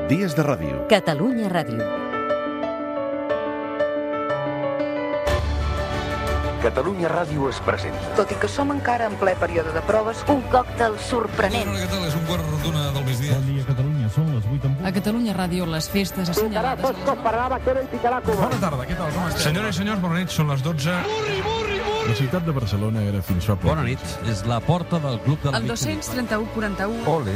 Dies de ràdio. Catalunya Ràdio. Catalunya Ràdio es presenta. Tot i que som encara en ple període de proves, un còctel sorprenent. Què tal? És un quart d'una del migdia. Bon dia, Catalunya. Són les 8 en punt. A Catalunya Ràdio, les festes assenyalades... Bona tarda, què tal? Com esteu? Senyores i senyors, bona nit, són les 12. La ciutat de Barcelona era fins fa poc. Bona nit, és la porta del Club de la El 231-41... Ole,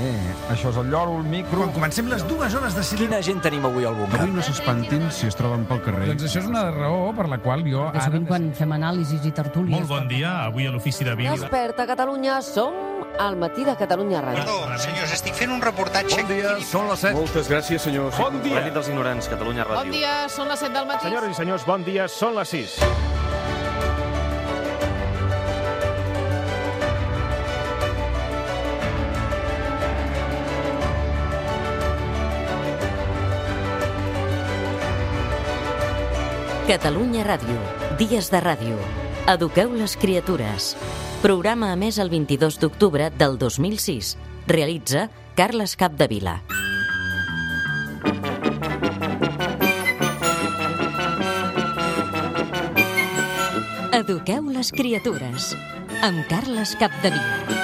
això és el lloro, el micro... Quan comencem les 2 hores de silenci... Quina gent tenim avui al bunker? Avui no s'espantin si es troben pel carrer. Doncs això és una raó per la qual jo ara... Sovint quan fem anàlisis i tertúlies... Molt bon dia, avui a l'Ofici de Bíblia. Desperta Catalunya, som al matí de Catalunya Ràdio. Perdó, senyors, estic fent un reportatge... Bon dia, són les 7. Moltes gràcies, senyors. Bon dia. La nit dels ignorants, Catalunya Ràdio. Bon dia, són les 7 del matí. Senyores i senyors, bon dia, són les 6. Catalunya Ràdio. Dies de ràdio. Eduqueu les criatures. Programa emès el 22 d'octubre del 2006. Realitza Carles Capdevila. Eduqueu les criatures. Amb Carles Capdevila.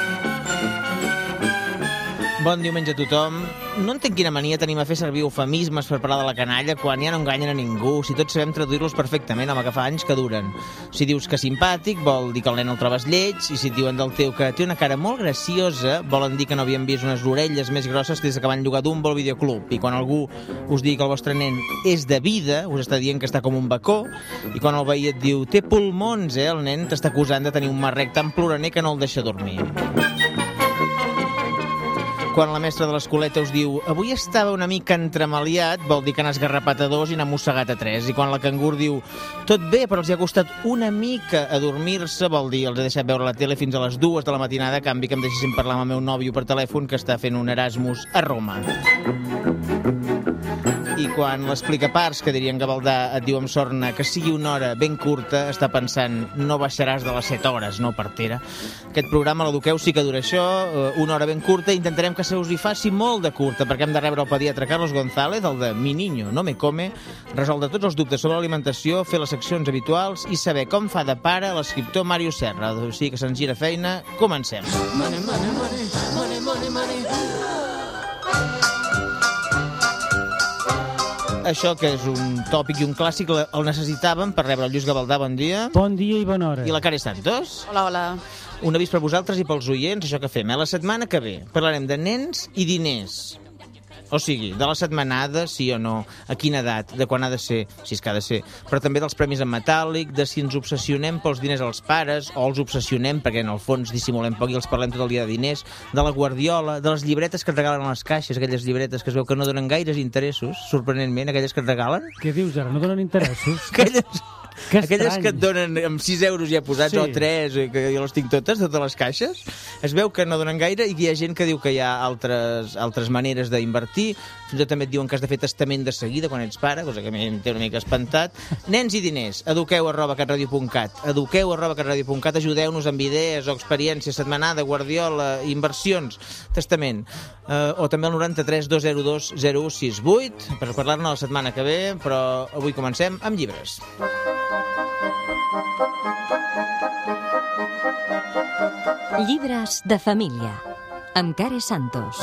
Bon diumenge a tothom. No entenc quina mania tenim a fer servir eufemismes per parlar de la canalla quan ja no enganyen a ningú, si tots sabem traduir-los perfectament, home, que fa anys que duren. Si dius que simpàtic, vol dir que el nen el trobes lleig, i si et diuen del teu que té una cara molt graciosa, volen dir que no havien vist unes orelles més grosses des que van llogar Dumbo al videoclub. I quan algú us digui que el vostre nen és de vida, us està dient que està com un bacó, i quan el veí et diu té pulmons, el nen t'està acusant de tenir un marrec tan ploraner que no el deixa dormir. Quan la mestra de l'escoleta us diu avui estava una mica entremaliat, vol dir que n'ha esgarrapat a 2 i n'ha mossegat a 3. I quan la cangur diu tot bé, però els hi ha costat una mica adormir-se, vol dir els he deixat veure la tele fins a les 2 de la matinada, a canvi que em deixessin parlar amb el meu nòvio per telèfon que està fent un Erasmus a Roma. I quan l'explicaparts, que dirien Gavaldà, et diu amb sorna que sigui una hora ben curta, està pensant no baixaràs de les 7 hores, no partera. Aquest programa, l'Eduqueu, sí que dura això, una hora ben curta, i intentarem que se us hi faci molt de curta, perquè hem de rebre el pediatre Carlos González, el de Mi niño no me come, resoldre tots els dubtes sobre l'alimentació, fer les seccions habituals i saber com fa de pare l'escriptor Màrius Serra. O sigui que se'ns gira feina, comencem. Money, money, money, money, money, money. Això, que és un tòpic i un clàssic, el necessitàvem per rebre el Lluís Gavaldà. Bon dia. Bon dia i bona hora. I la Care Santos. Hola, hola. Un avís per vosaltres i pels oients, això que fem. La setmana que ve parlarem de nens i diners. O sigui, de la setmanada, sí o no, a quina edat, de quan ha de ser, si és que ha de ser, però també dels premis en metàl·lic, de si ens obsessionem pels diners als pares, o els obsessionem perquè en el fons dissimulem poc i els parlem tot el dia de diners, de la guardiola, de les llibretes que et regalen a les caixes, aquelles llibretes que es veu que no donen gaires interessos, sorprenentment, aquelles que et regalen. Què dius ara? No donen interessos? Aquelles que et donen amb 6 euros ja posats, sí. O 3, que jo les tinc totes les caixes. Es veu que no donen gaire i hi ha gent que diu que hi ha altres maneres d'invertir. Fins i tot també et diuen que has de fer testament de seguida quan ets pare, cosa que a mi em té una mica espantat. Nens i diners, eduqueu@catradio.cat, eduqueu@catradio.cat, ajudeu-nos amb idees o experiències, setmanada, guardiola, inversions, testament. O també al 93 202 0168 per parlar-ne la setmana que ve, però avui comencem amb llibres. Llibres de família, amb Care Santos.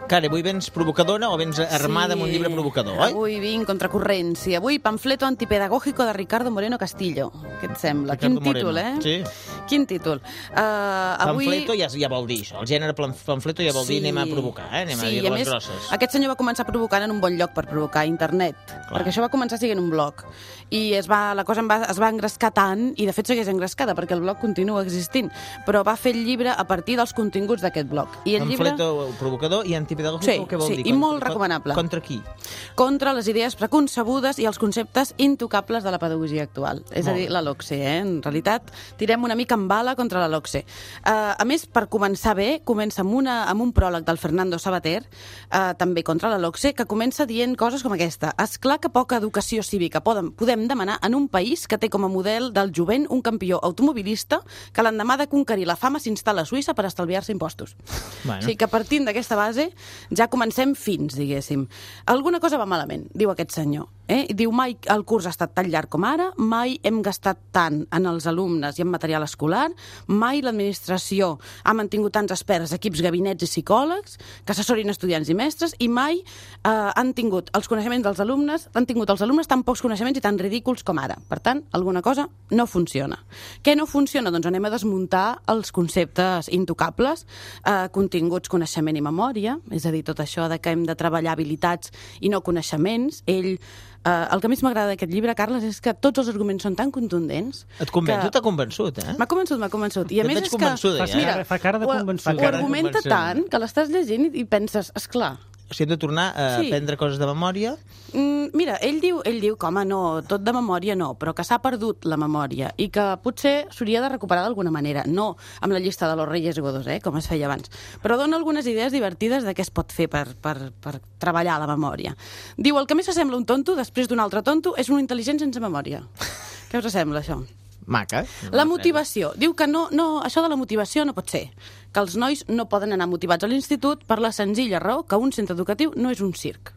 Care, avui vens provocadora o vens armada amb un llibre provocador, oi? Avui vinc contracorrent, sí. Avui Pamfleto antipedagógico de Ricardo Moreno Castillo. Què et sembla? Ricardo Quin títol, Moreno. Sí. Quin títol? Avui... Pamfleto ja vol dir això. El gènere pamfleto ja vol dir anem a provocar, anem a dir les grosses. Aquest senyor va començar provocant en un bon lloc per provocar, internet. Clar. Perquè això va començar sent un blog. I la cosa es va engrescar tant, i de fet segueix engrescada, perquè el blog continua existint, però va fer el llibre a partir dels continguts d'aquest blog. I el Pamfleto provocador i antipedagògico, què vol dir? Sí, i molt recomanable. Contra qui? Contra les idees preconcebudes i els conceptes intocables de la pedagogia actual. És a dir, la LOCSE, En realitat, tirem una mica cambala contra la LOCSE. A més, per començar bé, comença amb un pròleg del Fernando Sabater, també contra la LOCSE, que comença dient coses com aquesta. És clar que poca educació cívica podem demanar en un país que té com a model del jovent un campió automobilista que l'endemà de conquerir la fama s'instal·la a Suïssa per estalviar-se impostos. Bueno. O sigui que partint d'aquesta base ja comencem fins, diguéssim. Alguna cosa va malament, diu aquest senyor. Diu, mai el curs ha estat tan llarg com ara, mai hem gastat tant en els alumnes i en material escolar, mai l'administració ha mantingut tants experts, equips, gabinets i psicòlegs que assessorin estudiants i mestres, i mai han tingut els coneixements dels alumnes, tan pocs coneixements i tan ridículs com ara. Per tant, alguna cosa no funciona. Què no funciona? Doncs anem a desmuntar els conceptes intocables, continguts, coneixement i memòria, és a dir, tot això de que hem de treballar habilitats i no coneixements. El que més m'agrada d'aquest llibre, Carles, és que tots els arguments són tan contundents... Et convenç, t'ha convençut, eh? M'ha convençut. I a més és que... Mira, fa cara de convençut. Ho argumenta tant que l'estàs llegint i penses, esclar... O sigui, hem de tornar a aprendre coses de memòria? Mira, ell diu que, home, no, tot de memòria no, però que s'ha perdut la memòria i que potser s'hauria de recuperar d'alguna manera, no amb la llista de los Reyes Godos, com es feia abans, però dona algunes idees divertides de què es pot fer per treballar la memòria. Diu, el que més s'assembla un tonto després d'un altre tonto és un intel·ligent sense memòria. Què us sembla, això? Maca. La motivació. Diu que no, això de la motivació no pot ser. Que els nois no poden anar motivats a l'institut per la senzilla raó que un centre educatiu no és un circ.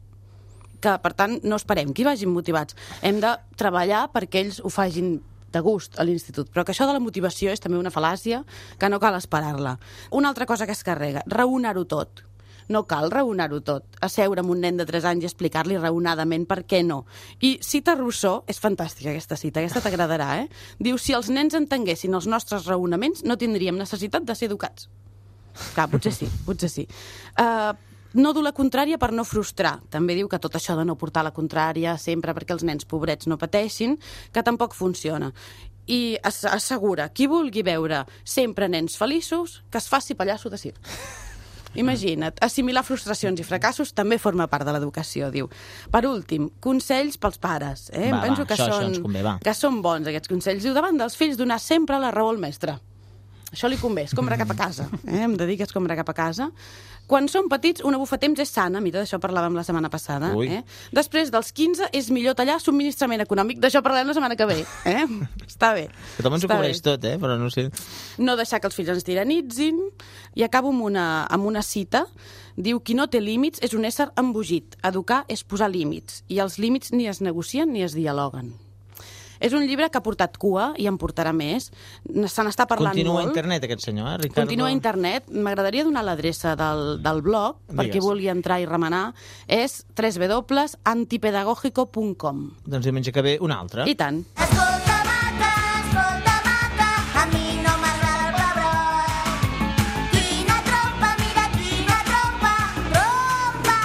Que, per tant, no esperem que hi vagin motivats. Hem de treballar perquè ells ho facin de gust a l'institut. Però que això de la motivació és també una fal·làcia que no cal esperar-la. Una altra cosa que es carrega, raonar-ho tot. No cal raonar-ho tot. Asseure amb un nen de 3 anys i explicar-li raonadament per què no. I cita Rousseau, és fantàstica aquesta cita, aquesta t'agradarà, Diu, si els nens entenguessin els nostres raonaments, no tindríem necessitat de ser educats. Clar, potser sí. No dur la contrària per no frustrar. També diu que tot això de no portar la contrària sempre perquè els nens pobrets no pateixin, que tampoc funciona. I assegura, qui vulgui veure sempre nens feliços, que es faci pallasso de circ. Imagina't, assimilar frustracions i fracassos també forma part de l'educació, diu. Per últim, consells pels pares. Penso que són bons, aquests consells. Diu, davant dels fills, donar sempre la raó al mestre. Això li convé, escombra cap a casa. Em dedica a escombrar cap a casa. Quan som petits, una bufa temps és sana. Mira, d'això parlàvem la setmana passada. Després dels 15 és millor tallar subministrament econòmic. D'això parlem la setmana que ve. Està bé. Que també ens ho cobreix tot, però no sé. No deixar que els fills ens tiranitzin. I acabo amb una cita. Diu, qui no té límits és un ésser embogit. Educar és posar límits. I els límits ni es negocien ni es dialoguen. És un llibre que ha portat cua i en portarà més. Se n'està parlant molt. Continua a internet, aquest senyor, Ricardo? Continua a internet. M'agradaria donar l'adreça del blog, per qui vulgui entrar i remenar. És www.antipedagógico.com. Doncs diumenge que ve una altra. I tant. Escolta, maca, a mi no m'agrada el pebrot. Quina trompa, mira quina trompa, tothom sap.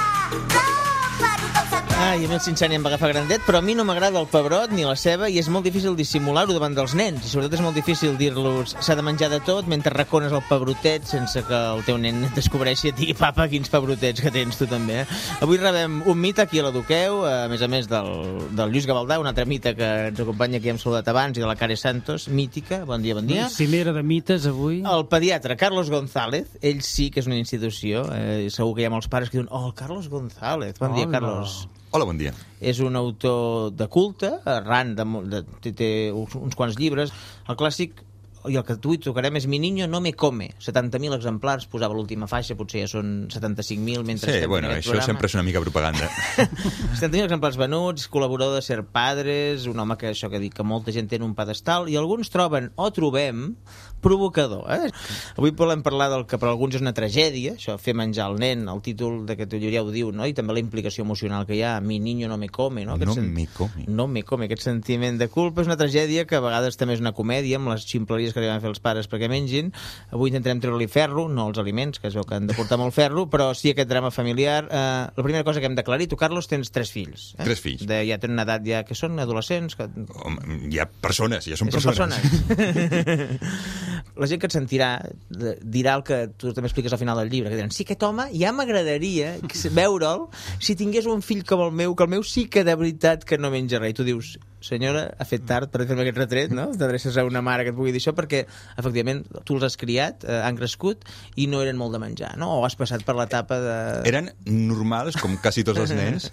I a mi el Cincinnati em va agafar grandet, però a mi no m'agrada el pebrot ni la ceba i és molt difícil dissimular-ho davant dels nens. I sobretot és molt difícil dir-los s'ha de menjar de tot mentre racones el pebrotet sense que el teu nen et descobreixi i et digui papa, quins pebrotets que tens tu també. Avui rebem un mite aquí a l'Eduqueu, a més del Lluís Gavaldà, un altre mite que ens acompanya, que hem saludat abans, i de la Care Santos, mítica. Bon dia, bon dia. Cimera de mites avui. El pediatre Carlos González, ell sí que és una institució. Segur que hi ha molts pares que diuen el Carlos González. Bon dia, Carlos. Hola, bon dia. És un autor de culte, arran té uns quants llibres. El clàssic, i el que avui tocarem, és Mi niño no me come. 70.000 exemplars, posava l'última faixa, potser ja són 75.000 mentre estem en aquest programa. Això sempre és una mica propaganda. 70.000 exemplars venuts, col·laborador de Ser Padres, un home que això que dic que molta gent té en un pedestal, i alguns troben o trobem provocador. Avui volem parlar del que per alguns és una tragèdia, això, fer menjar el nen, el títol d'aquest llibre ja ho diu, no? I també la implicació emocional que hi ha, Mi niño no me come, no? No me come, aquest sentiment de culpa és una tragèdia que a vegades també és una comèdia, amb les ximpleries que li van fer els pares perquè mengin. Avui intentarem treure-li ferro, no els aliments, que es veu que han de portar molt ferro, però sí aquest drama familiar. La primera cosa que hem d'aclarir, tu, Carlos, tens 3 fills. 3 fills. Ja tenen una edat ja que són adolescents. Ja persones, ja són persones. La gent que et sentirà dirà el que tu també expliques al final del llibre, que diran, sí, aquest home ja m'agradaria veure'l si tingués un fill com el meu, que el meu sí que de veritat que no menja res. I tu dius, senyora, ha fet tard per fer-me aquest retret, no? T'adreces a una mare que et pugui dir això perquè, efectivament, tu els has criat, han crescut i no eren molt de menjar, no? O has passat per l'etapa de... Eren normals, com quasi tots els nens.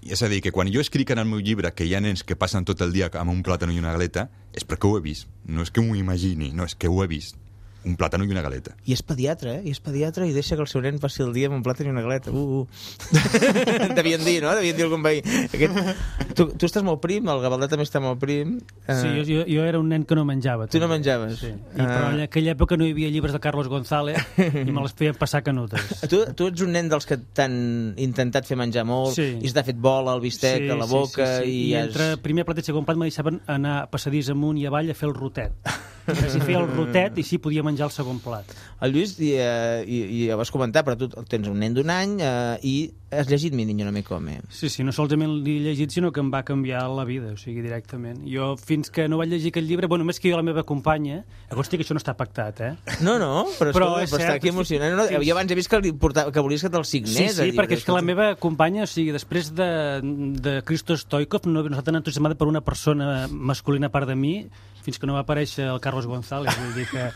És a dir, que quan jo escric en el meu llibre que hi ha nens que passen tot el dia amb un plàtan i una galeta, és perquè ho he vist. No és que m'ho imagini, no, és que ho he vist. Un plàtan i una galeta. I és pediatre, I és pediatre i deixa que el seu nen passi el dia amb un plàtan i una galeta. Devien dir, no? Devien dir algun veí. Tu estàs molt prim, el Gavaldà també està molt prim. Sí, jo era un nen que no menjava. Tu no menjaves? Sí. Però en aquella època no hi havia llibres de Carlos González i me les feien passar canutes. Tu ets un nen dels que t'han intentat fer menjar molt i s'ha fet bola al bistec, a la boca... I entre primer plat i segon plat me deixaven anar a passadís amunt i avall a fer el rotet. Si feia el rotet i sí podia menjar el segon plat. El Lluís, i ho vas comentar, però tu tens un nen d'un any i has llegit Mi niño no me come. Sí, no solament l'he llegit, sinó que em va canviar la vida, o sigui, directament. Jo, fins que no vaig llegir aquest llibre, bueno, més que jo la meva companya, acosti que això no està pactat, No, però està aquí emocionant. Jo abans he vist que volies que te'l signés. Sí, perquè és que la meva companya, o sigui, després de Christo Stoikov, no està tan entusiasmada per una persona masculina a part de mi, fins que no va aparèixer el Carlos González, vull dir que...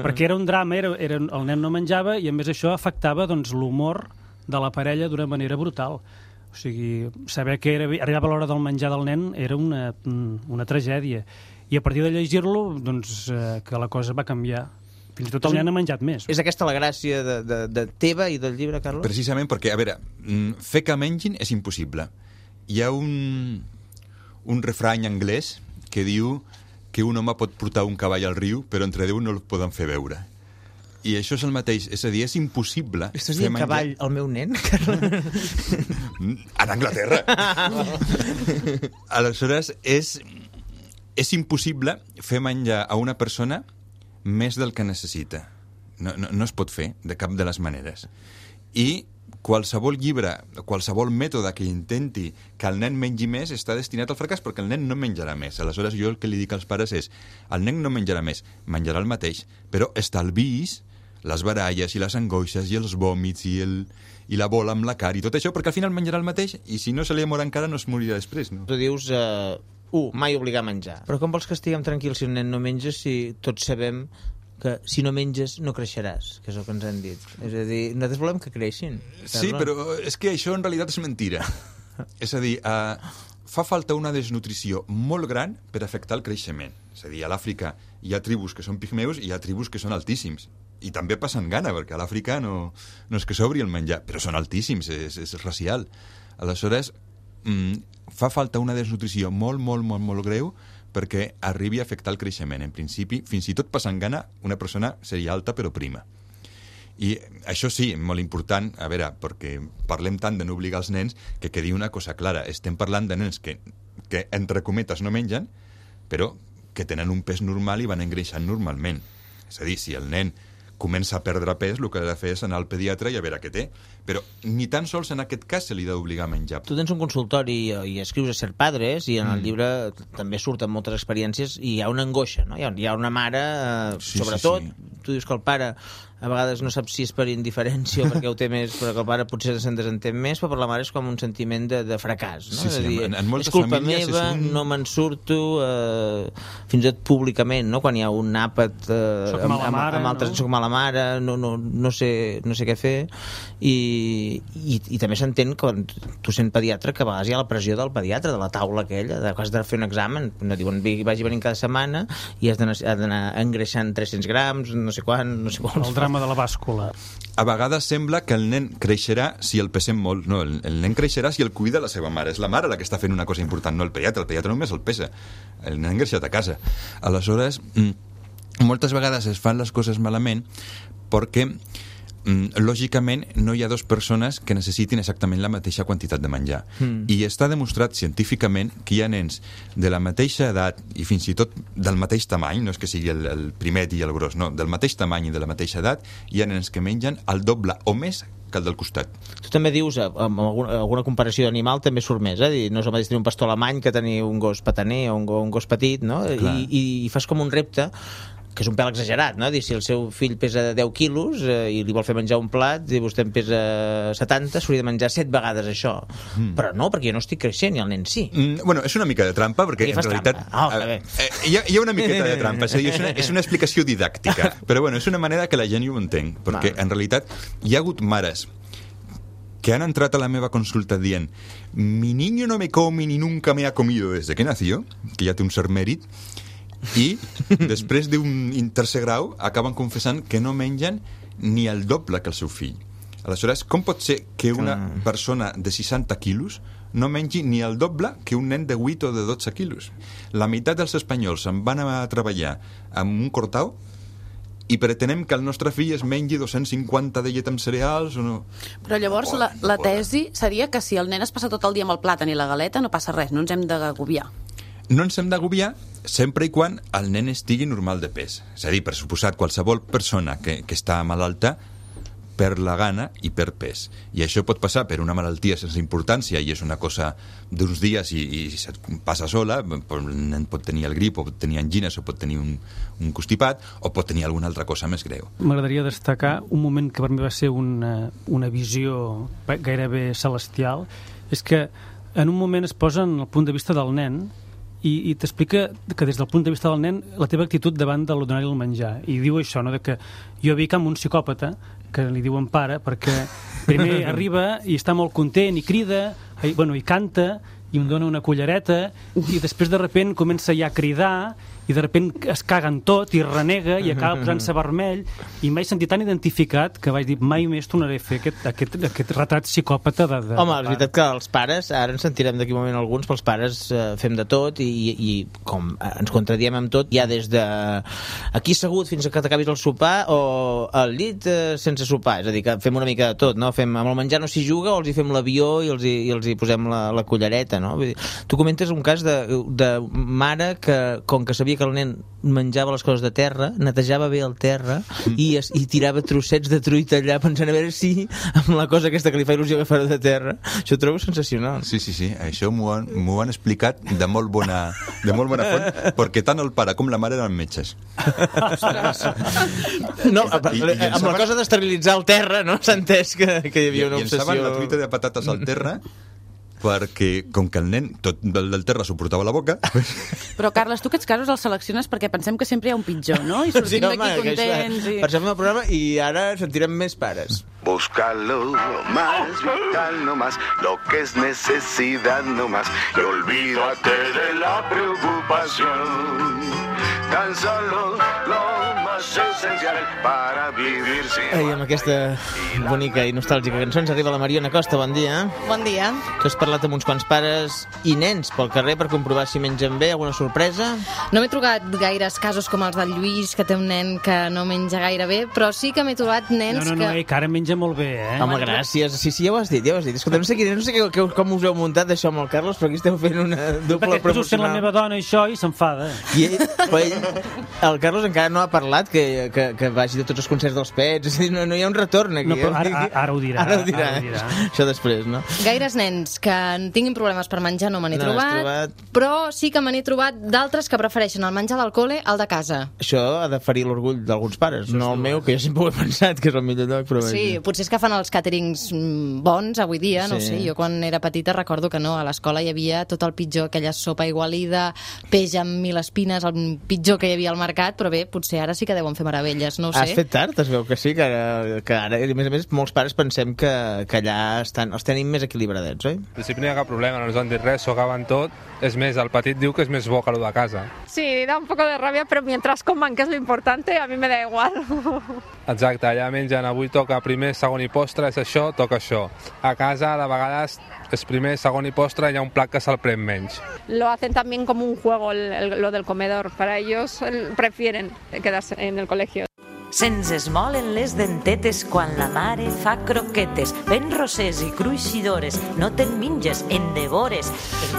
perquè era un drama, el nen no menjava i a més això afectava l'humor de la parella d'una manera brutal. O sigui, saber que arribava l'hora del menjar del nen era una tragèdia. I a partir de llegir-lo, doncs, que la cosa va canviar. Fins i tot el nen ha menjat més. És aquesta la gràcia de teva i del llibre, Carlos? Precisament perquè, a veure, fer que mengin és impossible. Hi ha un refrany anglès que diu que un home pot portar un cavall al riu, però entre 10 no el poden fer veure. I això és el mateix, és a dir, és impossible... Estàs dient cavall al meu nen? A Anglaterra! Aleshores, és impossible fer menjar a una persona més del que necessita. No es pot fer, de cap de les maneres. I qualsevol llibre, qualsevol mètode que intenti que el nen mengi més està destinat al fracàs perquè el nen no menjarà més. Aleshores, jo el que li dic als pares és el nen no menjarà més, menjarà el mateix, però estalviïs les baralles i les angoixes i els vòmits i la bola amb la cara i tot això, perquè al final menjarà el mateix i si no se li mor encara no es morirà després. No? Tu dius, mai obligar a menjar. Però com vols que estiguem tranquils si un nen no menja si tots sabem que si no menges no creixeràs, que és el que ens han dit. És a dir, nosaltres volem que creixin. Sí, però és que això en realitat és mentira. És a dir, fa falta una desnutrició molt gran per afectar el creixement. És a dir, a l'Àfrica hi ha tribus que són pigmeus i hi ha tribus que són altíssims. I també passen gana, perquè a l'Àfrica no és que s'obri el menjar, però són altíssims, és racial. Aleshores, fa falta una desnutrició molt, molt, molt, molt greu perquè arribi a afectar el creixement. En principi, fins i tot passant gana, una persona seria alta però prima. I això sí, molt important, a veure, perquè parlem tant de no obligar els nens, que quedi una cosa clara. Estem parlant de nens que entre cometes, no mengen, però que tenen un pes normal i van engreixant normalment. És a dir, si el nen comença a perdre pes, el que ha de fer és anar al pediatre i a veure què té. Però ni tan sols en aquest cas se li ha d'obligar a menjar. Tu tens un consultori i escrius a Ser Padres i en el llibre també surten moltes experiències i hi ha una angoixa, no? Hi ha una mare, sobretot, tu dius que el pare a vegades no sap si és per indiferència o perquè ho té més, però que el pare potser se'n desentén més, però per la mare és com un sentiment de fracàs, no? Sí, dir, en moltes és culpa famílies meva, no me'n surto, fins i tot públicament, no? Quan hi ha un àpat amb altres, soc mala mare, no sé què fer, i també s'entén quan tu sent pediatre que a vegades hi ha la pressió del pediatre, de la taula aquella, que has de fer un examen, no diuen vagi venint cada setmana i has d'anar engreixant 300 grams, no sé quant, no sé quants. El drama de la bàscula. A vegades sembla que el nen creixerà si el pesem molt. No, el nen creixerà si el cuida la seva mare. És la mare la que està fent una cosa important, no el pediatre només el pesa. El nen ha engreixat a casa. Aleshores, moltes vegades es fan les coses malament perquè lògicament no hi ha dues persones que necessitin exactament la mateixa quantitat de menjar. I està demostrat científicament que hi ha nens de la mateixa edat i fins i tot del mateix tamany, no és que sigui el primet i el gros, no, del mateix tamany i de la mateixa edat, hi ha nens que mengen el doble o més que el del costat. Tu també dius, amb alguna comparació d'animal també surt més, dir, no és el mateix tenir un pastor alemany que tenir un gos petaner o un gos petit, no? I fas com un repte que és un pèl exagerat, no? Dir, si el seu fill pesa 10 quilos i li vol fer menjar un plat i vostè en pesa 70, s'hauria de menjar 7 vegades això. Però no, perquè jo no estic creixent i el nen sí. Bueno, és una mica de trampa, perquè en realitat hi ha una miqueta de trampa, és una explicació didàctica, però bueno, és una manera que la gent ho entenc, perquè en realitat hi ha hagut mares que han entrat a la meva consulta dient mi niño no me come ni nunca me ha comido desde que nació, que ja té un cert mèrit, i després d'un tercer grau acaben confessant que no mengen ni el doble que el seu fill. Aleshores, com pot ser que una persona de 60 quilos no mengi ni el doble que un nen de 8 o de 12 quilos? La meitat dels espanyols se'n van a treballar amb un cortau i pretenem que el nostre fill es mengi 250 de llet amb cereals o no? Però llavors la tesi seria que si el nen es passa tot el dia amb el plàtan i la galeta no passa res, no ens hem d'agobiar. No ens hem d'agobiar sempre i quan el nen estigui normal de pes. És a dir, per suposat, qualsevol persona que està malalta per la gana i per pes. I això pot passar per una malaltia sense importància i és una cosa d'uns dies i passa sola. El nen pot tenir el grip, o pot tenir angines, o pot tenir un constipat, o pot tenir alguna altra cosa més greu. M'agradaria destacar un moment que per mi va ser una visió gairebé celestial. És que en un moment es posa en el punt de vista del nen i t'explica que des del punt de vista del nen la teva actitud davant de donar-li el menjar, i diu això, no? De que jo veig com un psicòpata que li diuen pare, perquè primer arriba i està molt content i crida i canta i em dona una cullereta i després de repent comença ja a cridar i de repent es caga en tot i renega i acaba posant-se vermell i m'he sentit tan identificat que vaig dir mai més tornaré a fer aquest retrat psicòpata de Home, és veritat que els pares, ara ens sentirem d'aquí un moment alguns, però els pares fem de tot i com ens contradiem amb tot, ja des de aquí assegut fins que t'acabis el sopar o al llit sense sopar, és a dir, que fem una mica de tot, no? Amb el menjar no s'hi juga o els hi fem l'avió i els hi posem la cullereta, no? Vull dir, tu comentes un cas de mare que, com que sabia que el nen menjava les coses de terra, netejava bé el terra i tirava trossets de truita allà pensant a veure si amb la cosa aquesta que li fa il·lusió agafar de terra. Això ho trobo sensacional. Sí, això m'ho han explicat de molt bona font, perquè tant el pare com la mare eren metges. No, amb la cosa d'esterilitzar el terra, no? S'ha entès que hi havia una obsessió. Llençaven la truita de patates al terra perquè, com que el nen tot del terra s'ho portava a la boca... Però, Carles, tu aquests casos els selecciones perquè pensem que sempre hi ha un pitjor, no? I sortim d'aquí contents... Passem el programa i ara sentirem més pares. Busca lo más vital, no más lo que es necesidad, no más. Y olvídate de la preocupación. Tan solo lo más esencial para vivir sin... Amb aquesta bonica i nostàlgica cançó ens arriba la Mariona Costa, bon dia. Bon dia. Tu has parlat amb uns quants pares i nens pel carrer per comprovar si mengen bé, alguna sorpresa? No m'he trobat gaires casos com els del Lluís, que té un nen que no menja gaire bé, però sí que m'he trobat nens que ara menja molt bé, eh? Home, gràcies. Sí, ja ho has dit. Escolta, no sé com us heu muntat això amb el Carlos, però aquí esteu fent una doble promocional. Perquè sent la meva dona això i s'enfada. El Carlos encara no ha parlat que vagi de tots els concerts dels Pets, és a dir, no hi ha un retorn aquí. No, però ara ho dirà. Ara ho dirà. Això després, no? Gaires nens que tinguin problemes per menjar no me n'he trobat, però sí que me n'he trobat d'altres que prefereixen el menjar del col·le al de casa. Això ha de ferir l'orgull d'alguns pares, no el meu, que jo sempre ho he pensat que és el millor lloc, però... Sí, potser és que fan els càterings bons avui dia, no ho sé, jo quan era petita recordo que no, a l'escola hi havia tot el pitjor, aquella sopa igualida, peix amb 1000 espines, el pitjor que hi havia al mercat, però bé, potser ara sí que deuen fer meravelles, no ho sé. Has fet tard, es veu que sí, que ara, a més, molts pares pensem que allà els tenim més equilibradets, oi? En principi no hi ha cap problema, no ens han dit res, s'ho acaben tot. És més, el petit diu que és més bo que el de casa. Sí, da un poco de rabia, pero mientras coman, que es lo importante, a mí me da igual. Exacte, allà mengen, avui toca primer, segon i postre, és això, toca això. A casa, de vegades, és primer, segon i postre, hi ha un plat que se'l pren menys. Lo hacen también como un juego, lo del comedor. Para ellos prefieren quedarse en el colegio. Se'ns esmolen les dentetes quan la mare fa croquetes. Ben rosers i cruixidores, no te'n minges, en devores.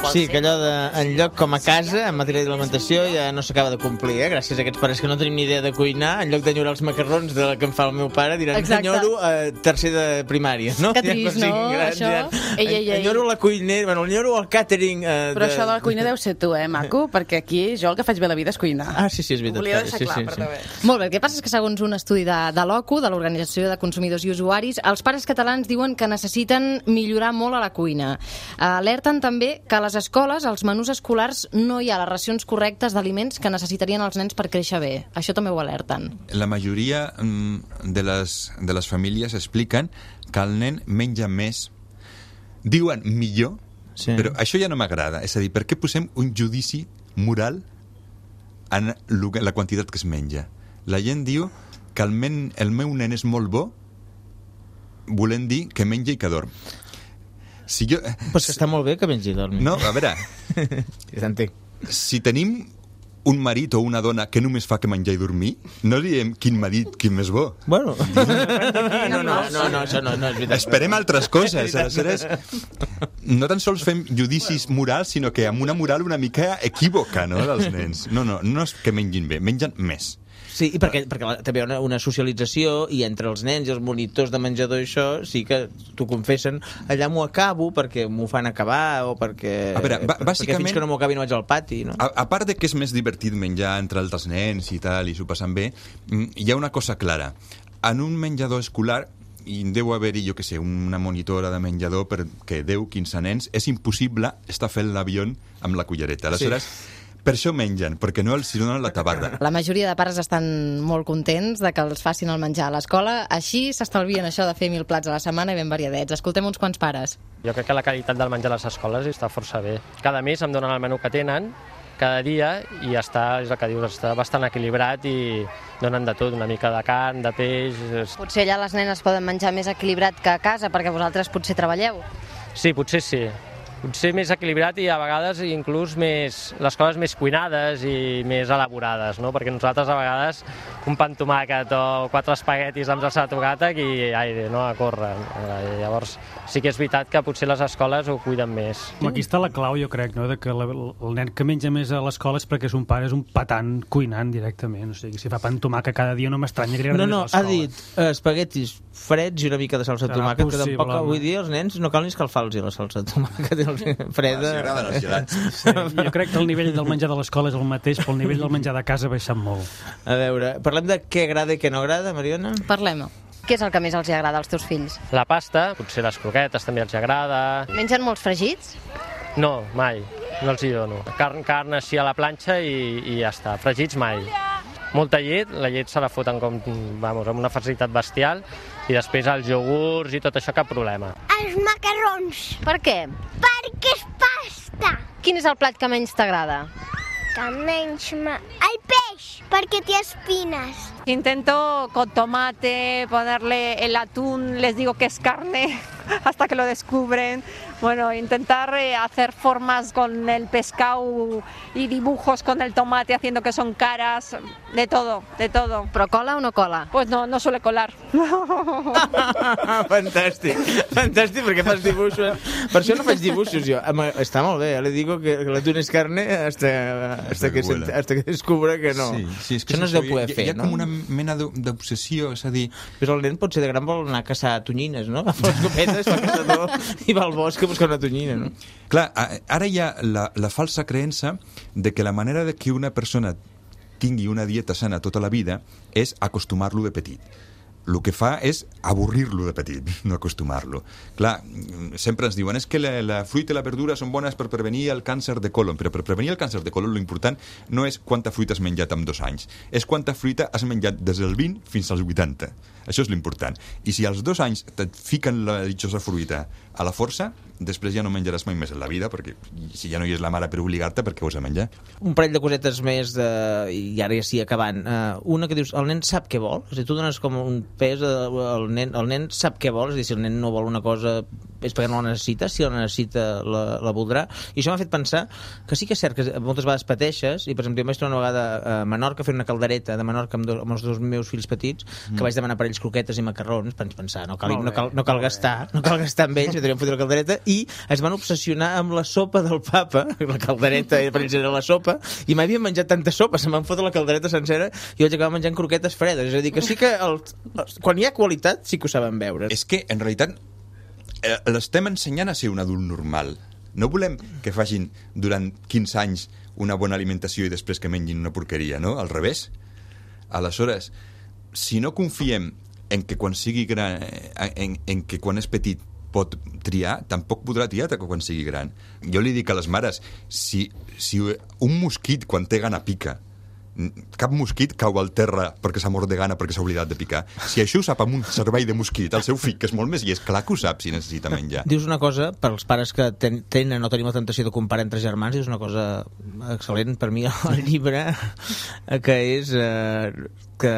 Sí, que allò de enlloc com a casa, en matèria d'alimentació, ja no s'acaba de complir, gràcies a aquests pares que no tenim ni idea de cuinar. En lloc d'enyorar els macarrons de la que em fa el meu pare, diran, enyoro tercer de primària, no? Que trist, no? Això... Enyoro la cuinera, bueno, enyoro el càtering... Però això de la cuina deu ser tu, maco? Perquè aquí jo el que faig bé la vida és cuinar. Ah, sí, és veritat. Ho volia deixar clar, perdó. Molt bé, el que passa és que segons un estudi de l'OCU, de l'Organització de Consumidors i Usuaris, els pares catalans diuen que necessiten millorar molt a la cuina. Alerten també que a les escoles, als menús escolars, no hi ha les racions correctes d'aliments que necessitarien els nens per créixer bé. Això també ho alerten. La majoria de les famílies expliquen que el nen menja més. Diuen millor, però això ja no m'agrada. És a dir, per què posem un judici moral en la quantitat que es menja? La gent diu que el meu nen és molt bo, volent dir que menja i que dorm. Si jo... Però és que està molt bé que mengi i dormi. No, a veure... T'entenc. Si tenim un marit o una dona que només fa que menjar i dormir, no diem quin marit, quin més bo. Bueno. No, això no és veritat. Esperem altres coses. Aleshores, no tan sols fem judicis morals, sinó que amb una moral una mica equívoca, no?, dels nens. No és que mengin bé, mengen més. Sí, i perquè també hi ha una socialització i entre els nens i els monitors de menjador i això sí que t'ho confessen, allà m'ho acabo perquè m'ho fan acabar o perquè, perquè fins que no m'ho acabi no vaig al pati, no? A part de que és més divertit menjar entre altres nens i tal, i s'ho passen bé, hi ha una cosa clara. En un menjador escolar i deu haver-hi, jo què sé, una monitora de menjador perquè 10-15 nens, és impossible estar fent l'avió amb la cullereta. Aleshores, per això mengen, perquè no els donen la tabarra. La majoria de pares estan molt contents de que els facin el menjar a l'escola. Així s'estalvien això de fer 1000 plats a la setmana i ben variadets. Escoltem uns quants pares. Jo crec que la qualitat del menjar a les escoles està força bé. Cada mes em donen el menú que tenen, cada dia, i està, és el que dius, està bastant equilibrat i donen de tot, una mica de carn, de peix... Potser allà les nenes poden menjar més equilibrat que a casa, perquè vosaltres potser treballeu. Sí, potser sí. Potser més equilibrat i a vegades inclús les coses més cuinades i més elaborades, no? Perquè nosaltres a vegades un pa amb tomàquet o 4 espaguetis amb salsa de tomàquet i aire, no? A córrer. Llavors sí que és veritat que potser les escoles ho cuiden més. Aquí està la clau, jo crec, no? De que el nen que menja més a l'escola és perquè son pare és un patant cuinant directament. O sigui, si fa pa amb tomàquet cada dia no m'estranya que li agradi més a l'escola. Ha dit espaguetis freds i una mica de salsa de tomàquet, que tampoc avui dia els nens no cal ni escalfar-los la salsa de tomàquet freda. Els agraden els gelats. Sí, jo crec que el nivell del menjar de l'escola és el mateix, però el nivell del menjar de casa ha baixat molt. A veure, parlem de què agrada i què no agrada, Mariona? Parlem. Què és el que més els agrada als teus fills? La pasta, potser les croquetes també els agrada. Mengen molts fregits? No, mai. No els hi dono. Carn així a la planxa i ja està. Fregits mai. Molta llet, la llet se la foten amb una facilitat bestial i després els iogurts i tot això, cap problema. Els macarrons. Per què? Perquè és pasta. Quin és el plat que menys t'agrada? Que menys el peix, perquè té espines. Intento con tomate, ponerle el atún, les digo que es carne hasta que lo descubren. Bueno, intentar hacer formas con el pescado y dibujos con el tomate haciendo que son caras, de todo, de todo. ¿Però cola o no cola? Pues no suele colar. Fantàstic, fantàstic, perquè fas dibuixos. Per això no faig dibuixos jo. Està molt bé, le digo que l'atún és carne hasta que descubra que no. Sí, és que això no es deu poder fer, no? Hi ha com una mena d'obsessió, és a dir... Però el nen potser de gran vol anar a caçar tonyines, no? Agafa les copetes, fa caçador i va al bosc a buscar una tonyina, no? Clar, ara hi ha la falsa creença de que la manera de que una persona tingui una dieta sana tota la vida és acostumar-lo de petit. El que fa és avorrir-lo de petit, no acostumar-lo. Clar, sempre ens diuen és que la fruita i la verdura són bones per prevenir el càncer de colon, però per prevenir el càncer de colon l'important no és quanta fruita has menjat en 2 anys, és quanta fruita has menjat des del 20 fins als 80. Això és l'important. I si als 2 anys et fiquen la ditxosa fruita a la força, després ja no menjaràs mai més en la vida, perquè si ja no hi és la mare per obligar-te, per què ho has de menjar? Un parell de cosetes més, i ara ja sí, acabant. Una que dius, el nen sap què vol? O sigui, tu dones com un pes, el nen sap què vol? És a dir, si el nen no vol una cosa és perquè no la necessita, si la necessita la voldrà, i això m'ha fet pensar que sí que és cert que moltes vegades pateixes, i per exemple jo vaig trobar una vegada a Menorca fent una caldereta de Menorca amb els dos meus fills petits, que vaig demanar per ells croquetes i macarrons, vaig pensar, no cal gastar amb ells, podríem fotre la caldereta, i es van obsessionar amb la sopa del papa, la caldereta per ells era la sopa, i m'havien menjat tanta sopa, se m'han fotre la caldereta sencera i vaig acabar menjant croquetes fredes, és a dir, que sí que quan hi ha qualitat sí que ho saben veure. És que en realitat l'estem ensenyant a ser un adult normal. No volem que facin durant 15 anys una bona alimentació i després que mengin una porqueria, no? Al revés. Aleshores, si no confiem en que quan sigui gran, en que quan és petit pot triar, tampoc podrà triar quan sigui gran. Jo li dic a les mares, si un mosquit quan té gana pica, cap mosquit cau al terra perquè s'ha mort de gana perquè s'ha oblidat de picar. Si això ho sap amb un cervell de mosquit, el seu fill, que és molt més, i és clar que ho sap si necessita menjar. Dius una cosa, per als pares que tenen o tenim la tentació de comparar entre germans, dius una cosa excel·lent per mi al llibre, que és que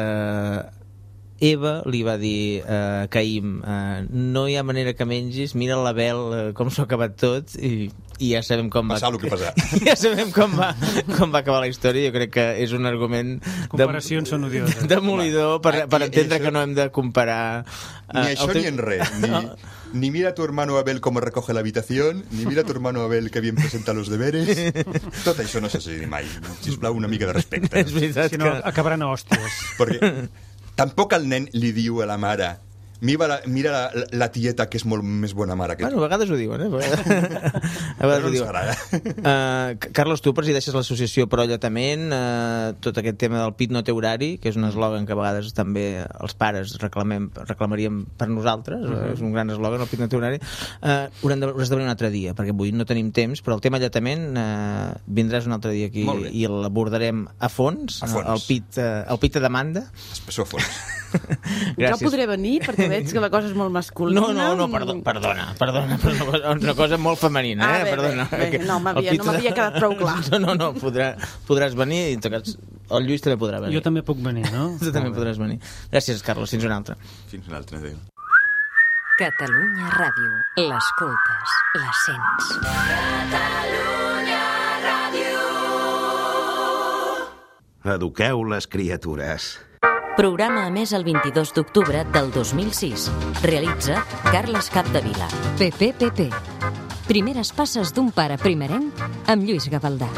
Eva li va dir a Caïm, no hi ha manera que mengis, mira l'Abel com s'ho ha acabat tot, i ja sabem com va... Passar el que passar. Ja sabem com va acabar la història. Jo crec que és un argument... Comparacions són odioses. Demolidor per entendre que no hem de comparar... Ni això ni en res. Ni mira a tu hermano Abel cómo recoge la habitación, ni mira a tu hermano Abel que bien presenta los deberes. Tot això no s'assegui mai. Sisplau, una mica de respecte. És veritat si no, acabaran a hòsties. Perquè tampoc el nen li diu a la mare mira la tieta que és molt més bona mare que tu. Bueno, a vegades ho diuen, a vegades ho diuen. Carlos, tu presideixes l'associació Pro Alletament, tot aquest tema del PIT no té horari, que és un eslògan que a vegades també els pares reclamaríem per nosaltres, és un gran eslògan, el PIT no té horari. Hauràs de venir un altre dia, perquè avui no tenim temps, però el tema alletament vindràs un altre dia aquí i l'abordarem a fons. El PIT a demanda. Espessor a fons. Jo podré venir perquè veig que la cosa és molt masculina. No, perdona, una cosa molt femenina, perdona. No m'havia quedat prou clar. No, podràs venir i el Lluís també podrà venir. Jo també puc venir, no? Tu també podràs venir. Gràcies, Carlos, fins una altra. Fins una altra, adéu. Catalunya Ràdio. L'escoltes, la sents. Catalunya Ràdio. Eduqueu les criatures. Programa emès el 22 d'octubre del 2006. Realitza Carles Capdevila. PPPP. Primeres passes d'un pare primerenc amb Lluís Gavaldà.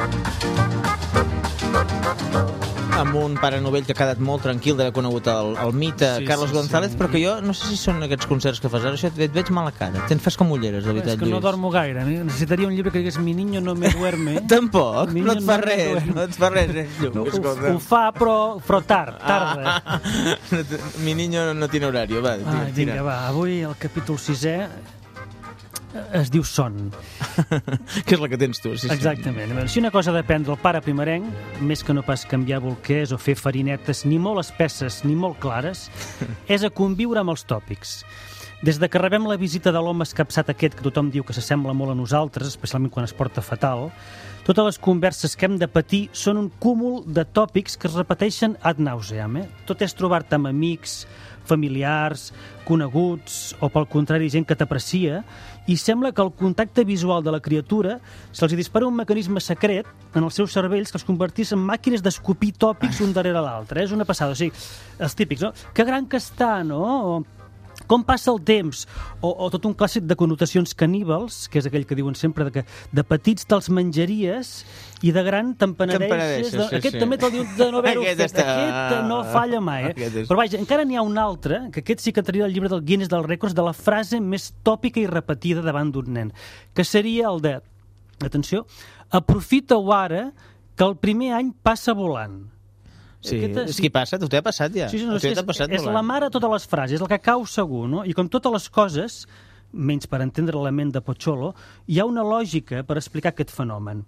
Amb un pare novell que ha quedat molt tranquil d'haver conegut el mite Carlos González, però que jo no sé si són aquests concerts que fas ara, això et veig mala cara, fas com ulleres, de veritat, Lluís. És que no dormo gaire, necessitaria un llibre que digués Mi niño no me duerme. Tampoc, no et fa res, Lluís. Ho fa, però tarda. Mi niño no tiene horario, va. Vinga, va, avui el capítol 6è es diu son. Que és la que tens tu. Sí. Exactament. Si una cosa depèn del pare primerenc, més que no pas canviar bolquers o fer farinetes ni molt espesses ni molt clares, és a conviure amb els tòpics. Des de que rebem la visita de l'home escapçat aquest que tothom diu que s'assembla molt a nosaltres, especialment quan es porta fatal, totes les converses que hem de patir són un cúmul de tòpics que es repeteixen ad nauseam. Tot és trobar-te amb amics, familiars, coneguts o, pel contrari, gent que t'aprecia, i sembla que el contacte visual de la criatura se'ls dispara un mecanisme secret en els seus cervells que els convertís en màquines d'escopir tòpics un darrere l'altre. És una passada. O sigui, els típics, no? Que gran que està, no? Com passa el temps? O tot un clàssic de connotacions caníbals, que és aquell que diuen sempre que de petits te'ls menjaries i de gran te'n penedeixes. Aquest també te'l diu de no haver-ho fet. Aquest no falla mai. Però vaja, encara n'hi ha un altre, que aquest sí que entraria al llibre del Guinness dels Rècords, de la frase més tòpica i repetida davant d'un nen, que seria el de, atenció, aprofita-ho ara, que el primer any passa volant. Sí, és que passa, tu t'ha passat ja. Sí, és la mare de totes les frases, és el que cau segur, no? I com totes les coses, menys per entendre la ment de Pocholo, hi ha una lògica per explicar aquest fenomen.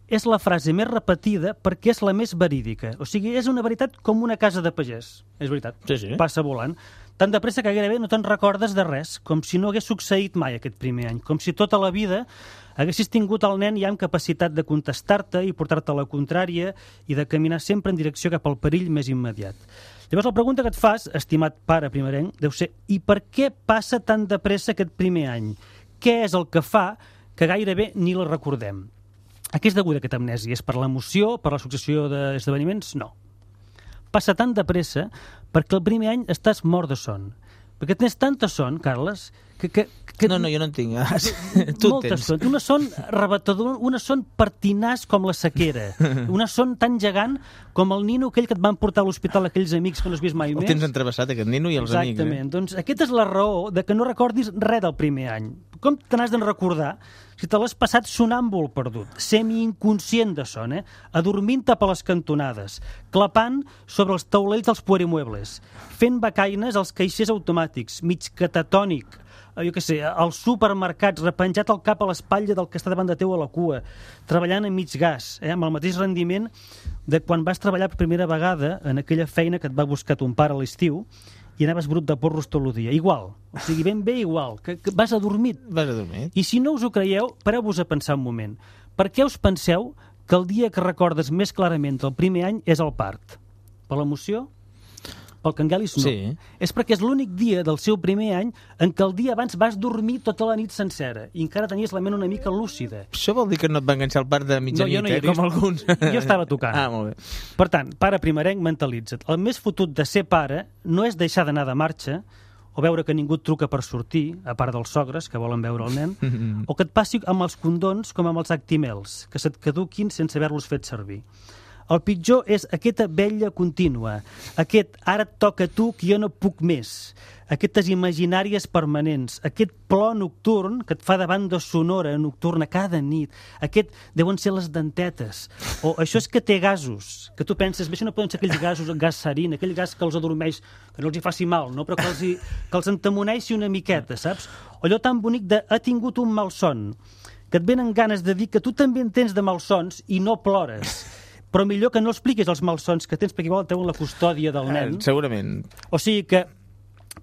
És la frase més repetida perquè és la més verídica. O sigui, és una veritat com una casa de pagès. És veritat, passa volant. Tan de pressa que gairebé no te'n recordes de res, com si no hagués succeït mai aquest primer any, com si tota la vida haguessis tingut el nen ja amb capacitat de contestar-te i portar-te a la contrària i de caminar sempre en direcció cap al perill més immediat. Llavors la pregunta que et fas, estimat pare primerenc, deu ser: i per què passa tan de pressa aquest primer any? què és el que fa que gairebé ni la recordem. A què és deguda aquesta amnèsia? És per l'emoció, per la successió d'esdeveniments? No. Passa tan de pressa perquè el primer any estàs mort de son. Perquè tens tanta son, Carles, que... No, jo no en tinc. Tu en tens. Son. Una son arrebatadora, una son pertinaç com la sequera. Una son tan gegant com el nino aquell que et van portar a l'hospital aquells amics que no has vist mai més. El tens entrevessat, aquest nino i els amics. Exactament. Doncs aquesta és la raó de que no recordis res del primer any. Com te n'has de recordar si te l'has passat sonàmbul perdut, semi-inconscient de son, adormint-te per les cantonades, clapant sobre els taulells dels puerimuebles, fent becaines als caixers automàtics, mig catatònic, jo què sé, als supermercats, repenjat el cap a l'espatlla del que està davant de teu a la cua, treballant a mig gas, amb el mateix rendiment de quan vas treballar per primera vegada en aquella feina que et va buscar ton pare a l'estiu i anaves brut de porros tot el dia. Igual, o sigui, ben bé igual, que vas adormit. Vas adormit. I si no us ho creieu, pareu-vos a pensar un moment. Per què us penseu que el dia que recordes més clarament del primer any és el part? Per l'emoció? Pel Cangelis no. Sí. És perquè és l'únic dia del seu primer any en què el dia abans vas dormir tota la nit sencera i encara tenies la ment una mica lúcida. Això vol dir que no et va enganxar el part de mitjanit, com alguns. Jo estava tocant. Molt bé. Per tant, pare primerenc, mentalitza't. El més fotut de ser pare no és deixar d'anar de marxa o veure que ningú et truca per sortir, a part dels sogres que volen veure el nen, o que et passi amb els condons com amb els Actimels, que se't caduquin sense haver-los fet servir. El pitjor és aquesta vetlla contínua, aquest ara et toca a tu que jo no puc més, aquestes imaginàries permanents, aquest plor nocturn que et fa de banda sonora nocturna cada nit, aquest deuen ser les dentetes, o això és que té gasos, que tu penses, això no poden ser aquells gasos, gas sarin, aquell gas que els adormeix, que no els hi faci mal, no? Però que els entemoneixi una miqueta, saps? O allò tan bonic de ha tingut un malson, que et venen ganes de dir que tu també en tens de malsons i no plores. Però millor que no expliquis els malsons que tens perquè igual teuen la custòdia del nen. Segurament. O sigui que,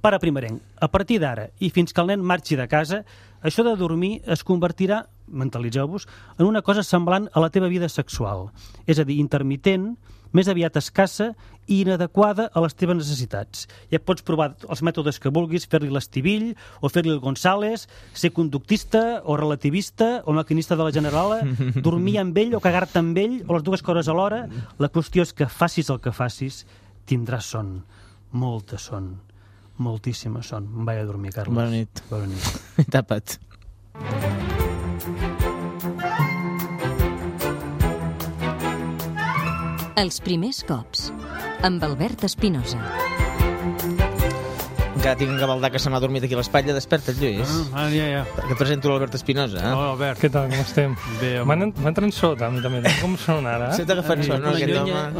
pare primerenc, a partir d'ara i fins que el nen marxi de casa, això de dormir es convertirà, mentalitzeu-vos, en una cosa semblant a la teva vida sexual. És a dir, intermitent, més aviat escassa i inadequada a les teves necessitats. Ja pots provar els mètodes que vulguis, fer-li l'estivill o fer-li el González, ser conductista o relativista o maquinista de la Generala, dormir amb ell o cagar-te amb ell o les dues coses alhora. La qüestió és que facis el que facis, tindràs son, molta son, moltíssima son. Em vaig a dormir, Carles. Bona nit. Bona nit. Tapa't. Els primers cops, amb Albert Espinosa. Encara tinc un gavaldà que se m'ha dormit aquí a l'espatlla. Desperta't, Lluís. Ja. Que et presento l'Albert Espinosa. Hola, Albert. Què tal, com estem? Bé. M'entren sota, a mi també. Com són ara? Se t'ha agafat son, no?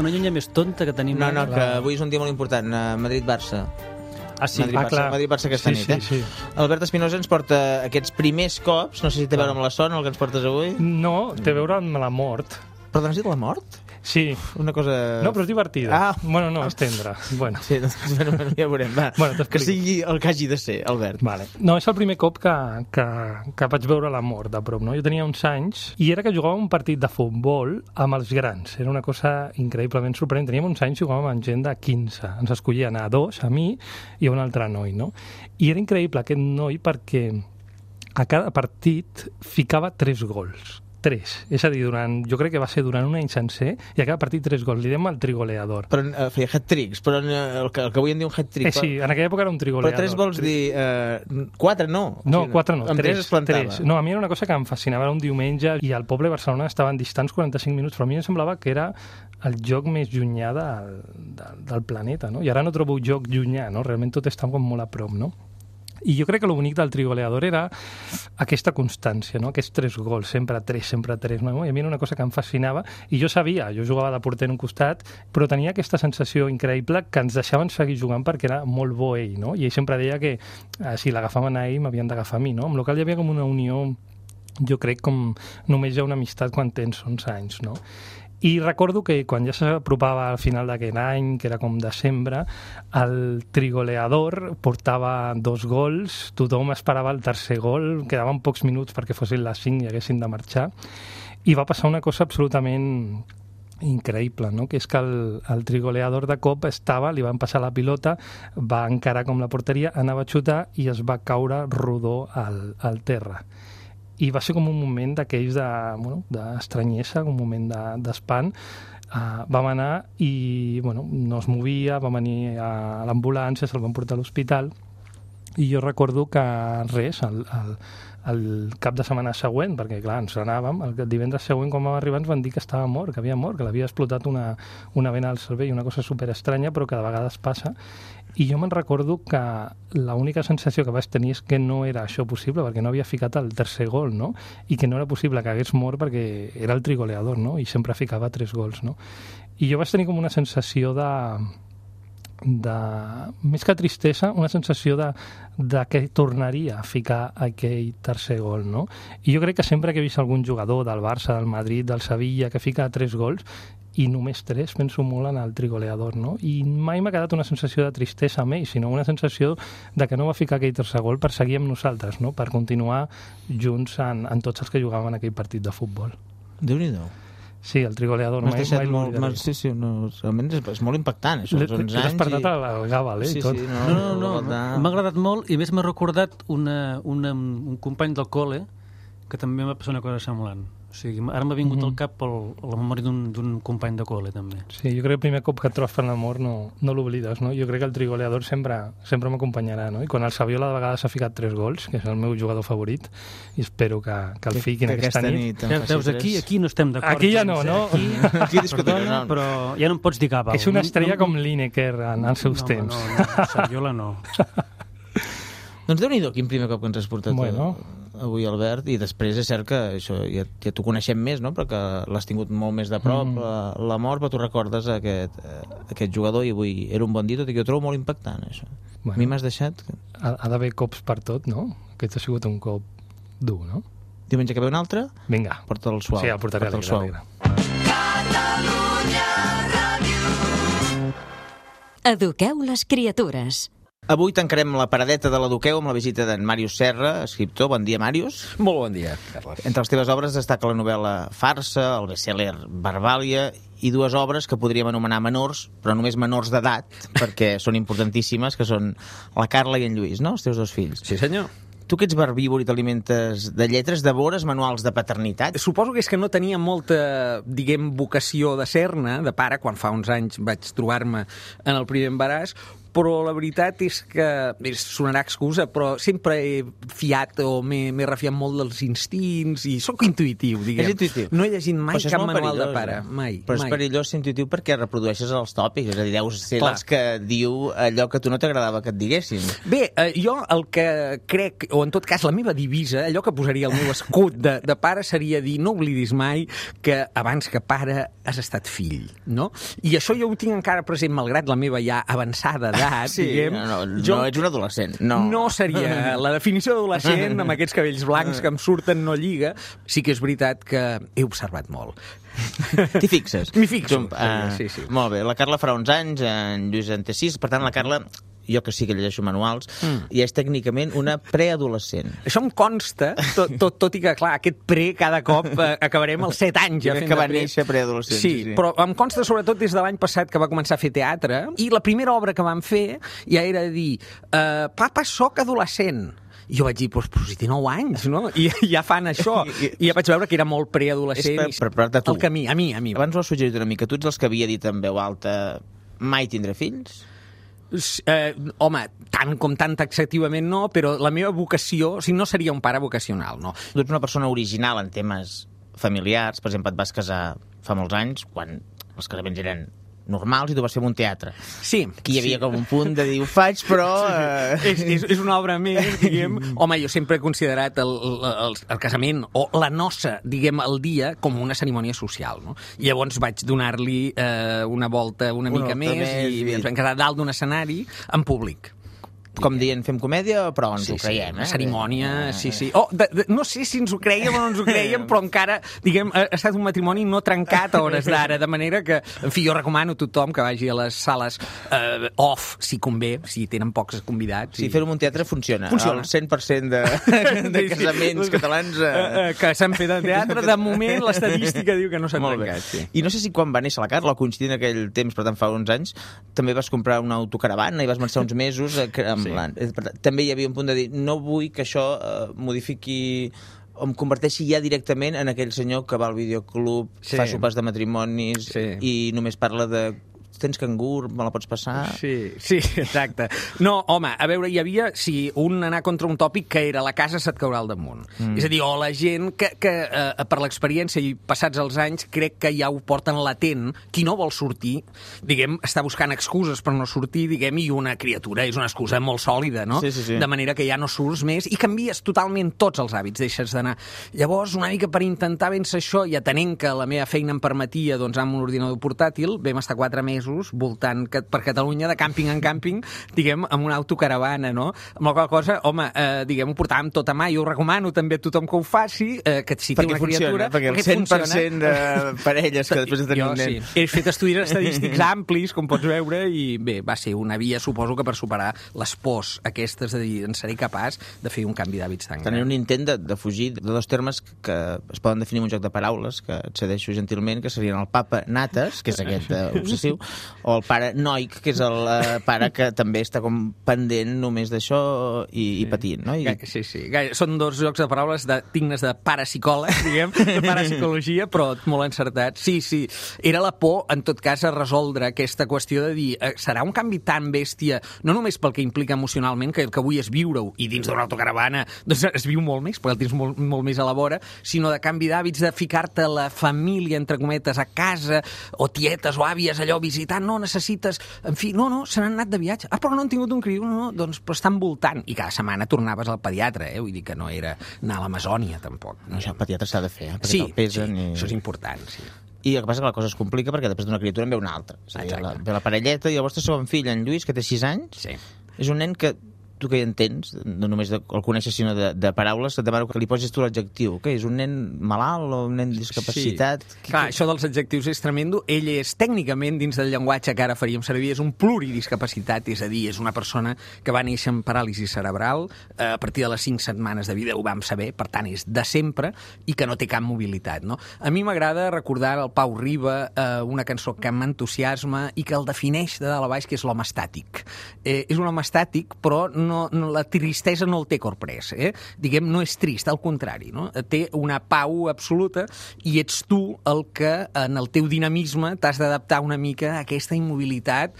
Una llunya més tonta que tenim. No, que avui és un dia molt important. Madrid-Barça. Ah, sí? Madrid-Barça aquesta nit, Sí. Albert Espinosa ens porta aquests primers cops. No sé si té a veure amb la son, el que ens portes avui. No, té a veure amb la mort. Perdona, has dit la mort? Sí. Una cosa... No, però és divertida. Bueno, no, és tendra. Bueno. Sí, bueno, ja veurem. Va. Que sigui el que hagi de ser, Albert. Vale. No, és el primer cop que vaig veure la mort de prop, no? Jo tenia uns anys i era que jugava un partit de futbol amb els grans. Era una cosa increïblement sorprenent. Teníem uns anys i jugàvem amb gent de 15. Ens escollien a dos, a mi i a un altre noi, no? I era increïble aquest noi perquè a cada partit ficava 3 gols. 3. És a dir, jo crec que va ser durant un any sencer i a cada partit 3 gols. Li dèiem el trigoleador. Però feia hat-tricks, però el que avui en diu un hat-trick. Sí, en aquella època era un trigoleador. Però 3 vols dir... 4 no. No, 4 no. Amb 3 es plantava. No, a mi era una cosa que em fascinava. Era un diumenge i al poble de Barcelona estaven distants 45 minuts, però a mi em semblava que era el joc més llunyà del planeta, no? I ara no trobo joc llunyà, no? Realment tot està com molt a prop, no? I jo crec que el bonic del trigoleador era aquesta constància, no? Aquests 3 gols, sempre 3, no? I a mi era una cosa que em fascinava i jo sabia, jo jugava de porter en un costat, però tenia aquesta sensació increïble que ens deixaven seguir jugant perquè era molt bo ell, no? I ell sempre deia que si l'agafaven a ell m'havien d'agafar a mi, no? Amb la qual hi havia com una unió, jo crec, com només hi ha una amistat quan tens 11 anys, no? I recordo que quan ja s'apropava al final d'aquell any, que era com desembre, el trigoleador portava 2 gols, tothom esperava el tercer gol, quedaven pocs minuts perquè fossin les 5 i haguessin de marxar, i va passar una cosa absolutament increïble, no? Que és que el trigoleador de cop li van passar la pilota, va encarar com la porteria, anava a xutar i es va caure rodó al terra. I va ser com un moment d'aquells d'estranyesa, un moment d'espant. Vam anar i no es movia, va venir a l'ambulància, se'l van portar a l'hospital i jo recordo que res, el cap de setmana següent, perquè clar, ens anàvem, el divendres següent quan vam arribar ens van dir que estava mort, que havia mort, que l'havia explotat una vena al cervell, una cosa superestranya, però que de vegades passa. I jo me'n recordo que l'única sensació que vaig tenir és que no era això possible, perquè no havia ficat el tercer gol, no? I que no era possible que hagués mort perquè era el trigoleador, no? I sempre ficava 3 gols, no? I jo vaig tenir com una sensació més que tristesa, una sensació de que tornaria a ficar aquell tercer gol, no? I jo crec que sempre que he vist algun jugador del Barça, del Madrid, del Sevilla, que fica 3 gols, i només 3, penso molt en el trigoleador, no? I mai m'ha quedat una sensació de tristesa amb ell, sinó una sensació de que no va ficar aquell tercer gol per seguir amb nosaltres, no? Per continuar junts en tots els que jugaven en aquell partit de futbol. Déu-n'hi-do. Sí, el trigoleador, mai l'oblidaré. Sí, realment és molt impactant, això. L'he despertat al Gàbal, Sí. No, m'ha agradat molt i més m'ha recordat un company del col·le que també m'ha passat una cosa semblant. O sigui, ara m'ha vingut al cap la memòria d'un company de col·le, també. Sí, jo crec que el primer cop que et trobes per l'amor no l'oblides, no? Jo crec que el trigoleador sempre m'acompanyarà, no? I quan el Saviola de vegades ha ficat 3 gols, que és el meu jugador favorit, i espero que el fiquin aquesta nit. Veus, aquí no estem d'acord. Aquí ja no, no? Aquí discutirem. Però ja no em pots dir cap. És una estrella com Lineker en els seus temps. No, Saviola no. Doncs Déu-n'hi-do, quin primer cop que ens has portat avui, Albert, i després és cert que això ja t'ho coneixem més, no? Perquè l'has tingut molt més de prop, la mort, però tu recordes aquest jugador i avui era un bon dia, tot i que ho trobo molt impactant, això. A mi m'has deixat... Ha d'haver cops per tot, no? Aquest ha sigut un cop dur, no? Diumenge que ve un altre? Vinga. Porta'l suau. Sí, el portaré alegre. Eduqueu les criatures. Avui tancarem la paradeta de l'Eduqueu amb la visita d'en Màrius Serra, escriptor. Bon dia, Màrius. Molt bon dia, Carles. Entre les teves obres destaca la novel·la Farsa, el best-seller Verbàlia i 2 obres que podríem anomenar menors, però només menors d'edat, perquè són importantíssimes, que són la Carla i en Lluís, no? Els teus 2 fills. Sí, senyor. Tu que ets verbívor i t'alimentes de lletres, devores manuals de paternitat? Suposo que és que no tenia molta, vocació de ser-ne, de pare, quan fa uns anys vaig trobar-me en el primer embaràs, però la veritat és que, sonarà excusa, però sempre he fiat o m'he refiat molt dels instints i sóc intuïtiu, diguem. És intuïtiu. No he llegit mai cap manual de pare, mai. Però és perillós ser intuïtiu perquè reprodueixes els tòpics, és a dir, deus ser dels que diu allò que a tu no t'agradava que et diguessin. Bé, jo el que crec, o en tot cas la meva divisa, allò que posaria el meu escut de pare seria dir no oblidis mai que abans que pare has estat fill, no? I això jo ho tinc encara present, malgrat la meva ja avançada edat, diguem. No ets un adolescent. No seria la definició d'adolescent amb aquests cabells blancs que em surten no lliga. Sí que és veritat que he observat molt. T'hi fixes? M'hi fixo. Sí. Molt bé, la Carla farà uns anys, en Lluís en té 6, per tant la Carla, jo que sí que llegeixo manuals, i és tècnicament una preadolescent. Això em consta, tot i que, clar, aquest pre cada cop acabarem als 7 anys. Ja que va néixer preadolescent. Sí, però em consta sobretot des de l'any passat que va començar a fer teatre, i la primera obra que vam fer ja era dir papa, soc adolescent. I jo vaig dir, però si té 9 anys, no? I ja fan això. I ja vaig veure que era molt preadolescent. És per preparar-te tu. El camí, a mi. Abans ho has suggerit una mica. Tu ets els que havia dit en veu alta mai tindré fills? Home, tant com tan taxativament no, però la meva vocació, o sigui, no seria un pare vocacional, no. Tu ets una persona original en temes familiars, per exemple, et vas casar fa molts anys, quan els casaments eren normals i tu vas fer un teatre. Sí. Aquí hi havia com un punt de dir, ho faig, però... És una obra més, diguem. Home, jo sempre he considerat el casament o la noça, diguem, el dia com una cerimònia social, no? I llavors vaig donar-li una volta una mica més i ens vam quedar dalt d'un escenari en públic. com dient, fem comèdia, però ens ho creiem, una cerimònia, sí. No sé si ens ho creiem o no ens ho creiem, però encara, diguem, ha estat un matrimoni no trencat a hores d'ara, de manera que, en fi, jo recomano a tothom que vagi a les sales off, si convé, si tenen pocs convidats. Sí, fer-ho en un teatre funciona. El 100% de casaments catalans... que s'han fet en teatre, de moment l'estadística diu que no s'han trencat. Sí. I no sé si quan va néixer la Carla, o coincidint en aquell temps, per tant fa uns anys, també vas comprar una autocaravana i vas marxar uns mesos també hi havia un punt de dir no vull que això modifiqui o em converteixi ja directament en aquell senyor que va al videoclub, fa sopars de matrimonis i només parla de tens cangur, me la pots passar... Sí, exacte. No, home, a veure, hi havia, anar contra un tòpic que era la casa se't caurà al damunt. És a dir, o la gent que per l'experiència i passats els anys crec que ja ho porten latent, qui no vol sortir, diguem, està buscant excuses per no sortir, diguem, i una criatura és una excusa molt sòlida, no? Sí. De manera que ja no surts més i canvies totalment tots els hàbits, deixes d'anar. Llavors, una mica per intentar vèncer això, i atenent que la meva feina em permetia, doncs, amb un ordinador portàtil, vam estar 4 mesos voltant per Catalunya de càmping en càmping, diguem, amb una autocaravana, no? Amb la qual cosa, home, diguem, ho portàvem tot a mà, jo ho recomano també a tothom que ho faci, que si té una criatura... Perquè el 100% de parelles que després de tenir un nen... He fet estudis estadístics amplis, com pots veure, i bé, va ser una via, suposo que per superar les pors aquestes de dir, en seré capaç de fer un canvi d'hàbits tan gran. Tenir un intent de fugir de 2 termes que es poden definir en un joc de paraules, que et cedeixo gentilment, que serien el papa Nates, que és aquest obsessiu, o el pare Noic, que és el pare que també està com pendent només d'això i patint, no? Sí. Són 2 jocs de paraules dignes de parapsicòleg, diguem, de parapsicologia, però molt encertats. Sí. Era la por, en tot cas, a resoldre aquesta qüestió de dir, serà un canvi tan bèstia, no només pel que implica emocionalment, que el que avui és viure-ho, i dins d'una autocaravana doncs es viu molt més, perquè el tens molt més a la vora, sinó de canvi d'hàbits, de ficar-te la família, entre cometes, a casa, o tietes o àvies, allò, visitant, no necessites... En fi, no, se n'han anat de viatge. Però no han tingut un criu, doncs però estan voltant. I cada setmana tornaves al pediatre, vull dir que no era anar a l'Amazònia, tampoc. No, això el pediatre s'ha de fer, perquè te'l pesen això és important, sí. I el que passa que la cosa es complica perquè després d'una criatura en ve una altra. És a dir, ve la parelleta i el vostre segon fill, en Lluís, que té 6 anys, és un nen que tu que hi entens, no només el coneixes sinó de paraules, et demano que li posis tu l'adjectiu. Què és, un nen malalt o un nen discapacitat? Clar, això dels adjectius és tremendo. Ell és tècnicament, dins del llenguatge que ara faríem servir, és un pluridiscapacitat, és a dir, és una persona que va néixer amb paràlisi cerebral, a partir de les 5 setmanes de vida ho vam saber, per tant és de sempre, i que no té cap mobilitat, no? A mi m'agrada recordar el Pau Riba, una cançó que m'entusiasma i que el defineix de dalt a baix, que és l'home estàtic. És un home estàtic, però la tristesa no el té corprès, diguem, no és trist, al contrari, no? Té una pau absoluta i ets tu el que en el teu dinamisme t'has d'adaptar una mica a aquesta immobilitat,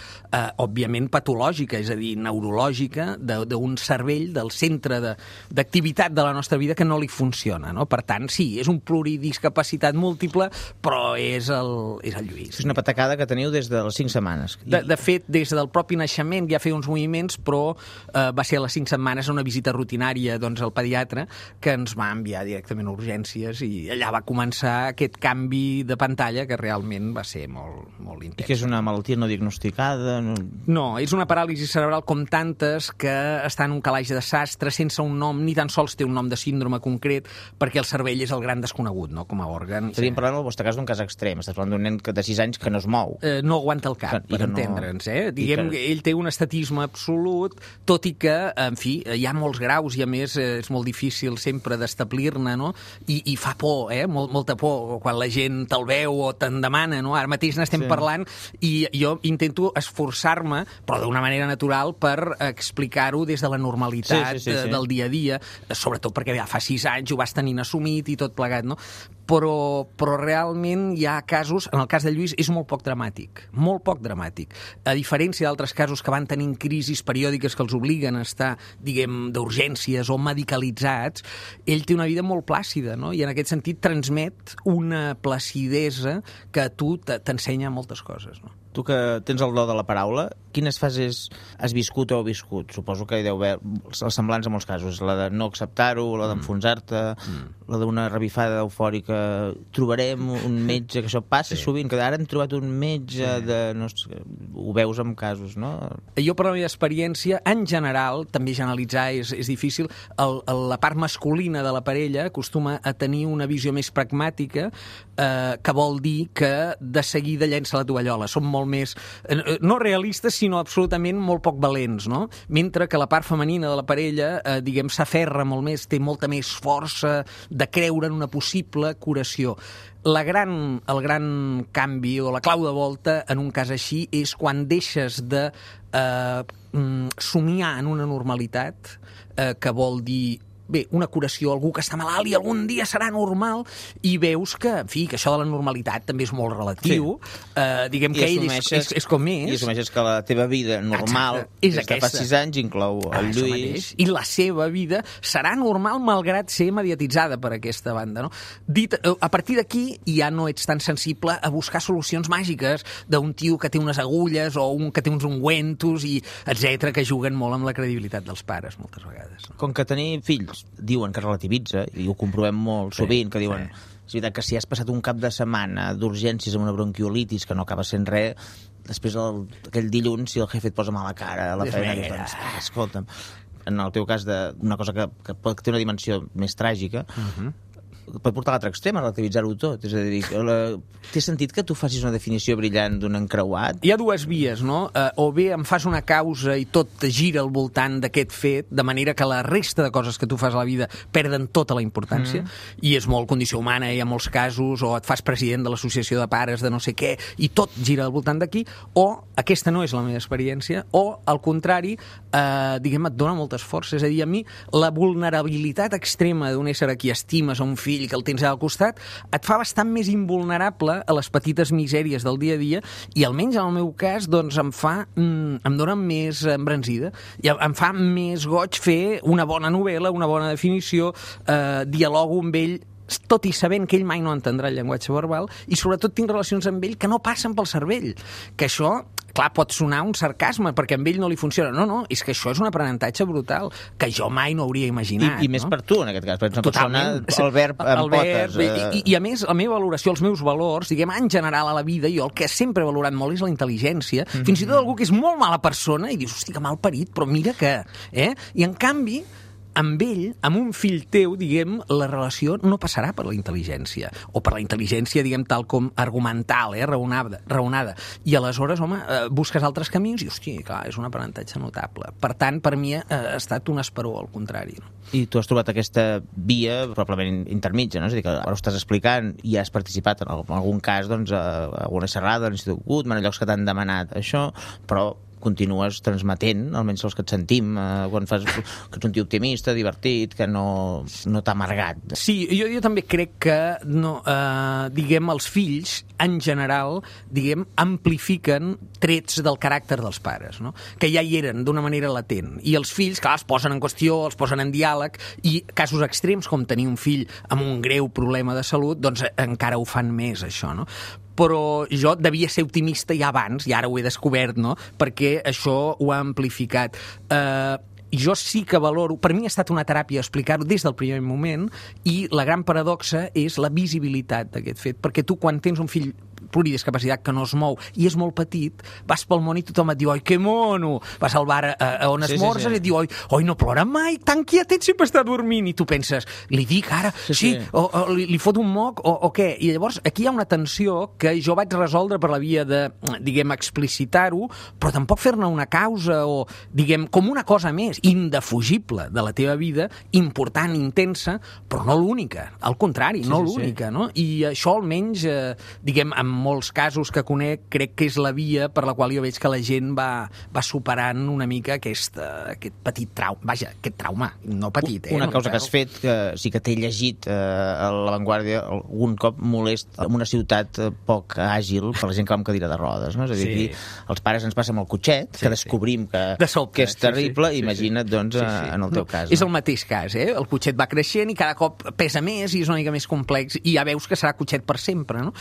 òbviament patològica, és a dir, neurològica, d'un cervell, del centre d'activitat de la nostra vida que no li funciona, no? Per tant, sí, és un pluridiscapacitat múltiple, però és el Lluís. És una patacada que teniu des de les 5 setmanes. De fet, des del propi naixement ja feia uns moviments, però va ser a les 5 setmanes una visita rutinària al pediatre que ens va enviar directament a urgències i allà va començar aquest canvi de pantalla que realment va ser molt intens. I que és una malaltia no diagnosticada? No, és una paràlisi cerebral com tantes que està en un calaix de sastre sense un nom, ni tan sols té un nom de síndrome concret, perquè el cervell és el gran desconegut, no?, com a òrgan. Estaríem parlant, en el vostre cas, d'un cas extrem. Estàs parlant d'un nen de 6 anys que no es mou. No aguanta el cap, per entendre'ns, Diguem que ell té un estatisme absolut, tot i que, en fi, hi ha molts graus i a més és molt difícil sempre d'establir-ne, no? I fa por, molta por quan la gent te'l veu o te'n demana, no? Ara mateix n'estem parlant i jo intento esforçar-me, però d'una manera natural, per explicar-ho des de la normalitat del dia a dia, sobretot perquè ja fa 6 anys ho vas tenint assumit i tot plegat, no? Però realment hi ha casos, en el cas de Lluís és molt poc dramàtic, a diferència d'altres casos que van tenint crisis periòdiques que els obliguen a estar, diguem, d'urgències o medicalitzats, ell té una vida molt plàcida, no? I en aquest sentit transmet una placidesa que a tu t'ensenya moltes coses, no? Tu que tens el do de la paraula, quines fases has viscut o heu viscut? Suposo que hi deu haver els semblants en molts casos. La de no acceptar-ho, la d'enfonsar-te, la d'una revifada eufòrica. Trobarem un metge, que això passa sovint, que ara hem trobat un metge de... No sé, ho veus en casos, no? Jo, per la meva experiència, en general, també generalitzar és difícil, la part masculina de la parella acostuma a tenir una visió més pragmàtica, que vol dir que de seguida llença la tovallola. Som molt més, no realistes, sinó absolutament molt poc valents, no? Mentre que la part femenina de la parella, diguem, s'aferra molt més, té molta més força de creure en una possible curació. El gran canvi o la clau de volta en un cas així és quan deixes de somiar en una normalitat, que vol dir una curació, algú que està malalt i algun dia serà normal, i veus que, en fi, que això de la normalitat també és molt relatiu. Diguem que ell és com és. I assumeixes que la teva vida normal des de fa 6 anys inclou el Lluís. I la seva vida serà normal malgrat ser mediatitzada per aquesta banda, no? A partir d'aquí ja no ets tan sensible a buscar solucions màgiques d'un tio que té unes agulles o un que té uns ungüentos, i etc, que juguen molt amb la credibilitat dels pares moltes vegades. Com que tenir fills diuen que relativitza, i ho comprovem molt sovint, que diuen, és veritat que si has passat un cap de setmana d'urgències amb una bronquiolitis que no acaba sent res, després aquell dilluns, si el jefe et posa mala cara a la feina, doncs, escolta'm, en el teu cas d'una cosa que pot tenir una dimensió més tràgica, pot portar a l'altre extrem, a relativitzar-ho tot. És a dir, té sentit que tu facis una definició brillant d'un encreuat? Hi ha dues vies, no? O bé em fas una causa i tot gira al voltant d'aquest fet, de manera que la resta de coses que tu fas a la vida perden tota la importància, i és molt condició humana, hi ha molts casos, o et fas president de l'associació de pares de no sé què, i tot gira al voltant d'aquí, o aquesta no és la meva experiència, o, al contrari, diguem, et dona moltes forces. És a dir, a mi, la vulnerabilitat extrema d'un ésser a qui estimes, a un fill que el tens al costat, et fa bastant més invulnerable a les petites misèries del dia a dia, i almenys en el meu cas doncs em dona més embranzida, i em fa més goig fer una bona novel·la, una bona definició, dialogo amb ell tot i sabent que ell mai no entendrà el llenguatge verbal, i sobretot tinc relacions amb ell que no passen pel cervell, que això, clar, pot sonar un sarcasme, perquè amb ell no li funciona. No, és que això és un aprenentatge brutal, que jo mai no hauria imaginat. I més per tu, en aquest cas, perquè ets una persona, el verb amb potes. I a més, la meva valoració, els meus valors, diguem, en general a la vida, jo el que sempre he valorat molt és la intel·ligència, fins i tot algú que és molt mala persona, i dius, hosti, que mal parit, però mira que... I en canvi, amb ell, amb un fill teu, diguem, la relació no passarà per la intel·ligència, o per la intel·ligència, diguem, tal com argumental, raonada. I aleshores, home, busques altres camins i, hosti, clar, és un aprenentatge notable. Per tant, per mi ha estat un esperó, al contrari. No? I tu has trobat aquesta via probablement intermitja, no? És a dir, que ara ho estàs explicant i has participat en algun cas, doncs, a alguna xerrada de l'Institut Guttmann, en llocs que t'han demanat això, però continues transmetent, almenys els que et sentim, quan fas que ets un tio optimista, divertit, que no t'ha amargat. Sí, jo també crec que, diguem, els fills, en general, diguem, amplifiquen trets del caràcter dels pares, no? Que ja hi eren d'una manera latent. I els fills, clar, es posen en qüestió, els posen en diàleg, i casos extrems, com tenir un fill amb un greu problema de salut, doncs encara ho fan més, això, no? Però jo devia ser optimista ja abans, i ara ho he descobert, no? Perquè això ho ha amplificat. Jo sí que valoro... Per mi ha estat una teràpia explicar-ho des del primer moment, i la gran paradoxa és la visibilitat d'aquest fet, perquè tu quan tens un fill pluridiscapacitat que no es mou i és molt petit, vas pel món i tothom et diu oi, que mono! Vas al bar on esmorzes i et diu oi, no plora mai, tan quietet, sempre està dormint, i tu penses, li dic ara, o li fot un moc o què? I llavors aquí hi ha una tensió que jo vaig resoldre per la via de, diguem, explicitar-ho, però tampoc fer-ne una causa o, diguem, com una cosa més indefugible de la teva vida, important, intensa, però no l'única, al contrari, no l'única, no? I això almenys, diguem, en molts casos que conec, crec que és la via per la qual jo veig que la gent va superant una mica aquest petit trauma. Vaja, aquest trauma, no petit, Una cosa que has fet, que sí que t'he llegit a l'avantguàrdia algun cop molest en una ciutat poc àgil per la gent que va amb cadira de rodes, no? És a dir, aquí els pares ens passen el cotxet, que descobrim que és terrible, imagina't, doncs, en el teu cas. És el mateix cas, El cotxet va creixent i cada cop pesa més i és una mica més complex, i ja veus que serà cotxet per sempre, no?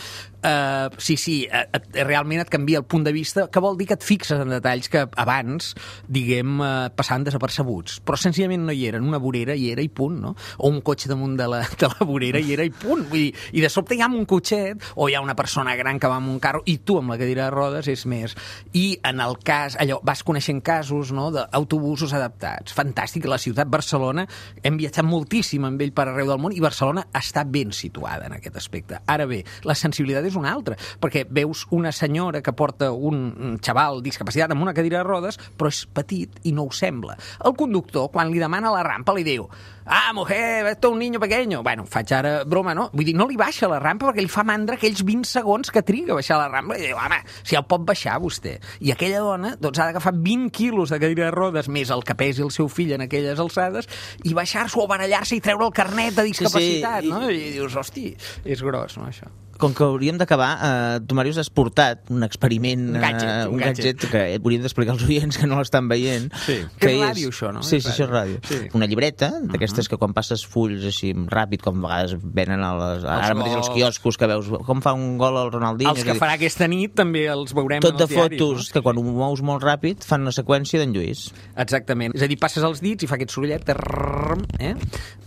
Sí, realment et canvia el punt de vista, que vol dir que et fixes en detalls que abans, diguem, passaven desapercebuts, però senzillament no hi eren. Una vorera hi era i punt, no? O un cotxe damunt de la vorera hi era i punt. Vull dir, i de sobte hi ha un cotxet, o hi ha una persona gran que va amb un carro, i tu amb la cadira de rodes és més. I en el cas, allò, vas coneixent casos, no?, d'autobusos adaptats. Fantàstic, la ciutat Barcelona, hem viatjat moltíssim amb ell per arreu del món, i Barcelona està ben situada en aquest aspecte. Ara bé, la sensibilitat és una altra, perquè veus una senyora que porta un xaval discapacitat amb una cadira de rodes, però és petit i no ho sembla. El conductor, quan li demana la rampa, li diu: ah, mujer, esto es un niño pequeño. Bueno, faig ara broma, no? Vull dir, no li baixa la rampa perquè li fa mandra aquells 20 segons que triga a baixar la rampa. I diu, home, si el pot baixar vostè. I aquella dona, doncs, ha d'agafar 20 quilos de cadira de rodes més el que pesi el seu fill en aquelles alçades i baixar-s'ho o barallar-se i treure el carnet de discapacitat, no? I dius, hosti, és gros, no, això? Com que hauríem d'acabar, tu, Màrius, has portat un experiment, un gadget que hauríem d'explicar als oients que no l'estan veient. Sí, que és ràdio, això, no? Sí, això és ràdio. Sí. Una llibreta, d'aquestes que quan passes fulls així ràpid, com a vegades venen ara mateix als quioscos, que veus com fa un gol el Ronaldinho. Els que farà aquesta nit també els veurem tot en els diaris. Tot de fotos, que quan ho mous molt ràpid fan una seqüència d'en Lluís. Exactament. És a dir, passes els dits i fa aquest sorollet,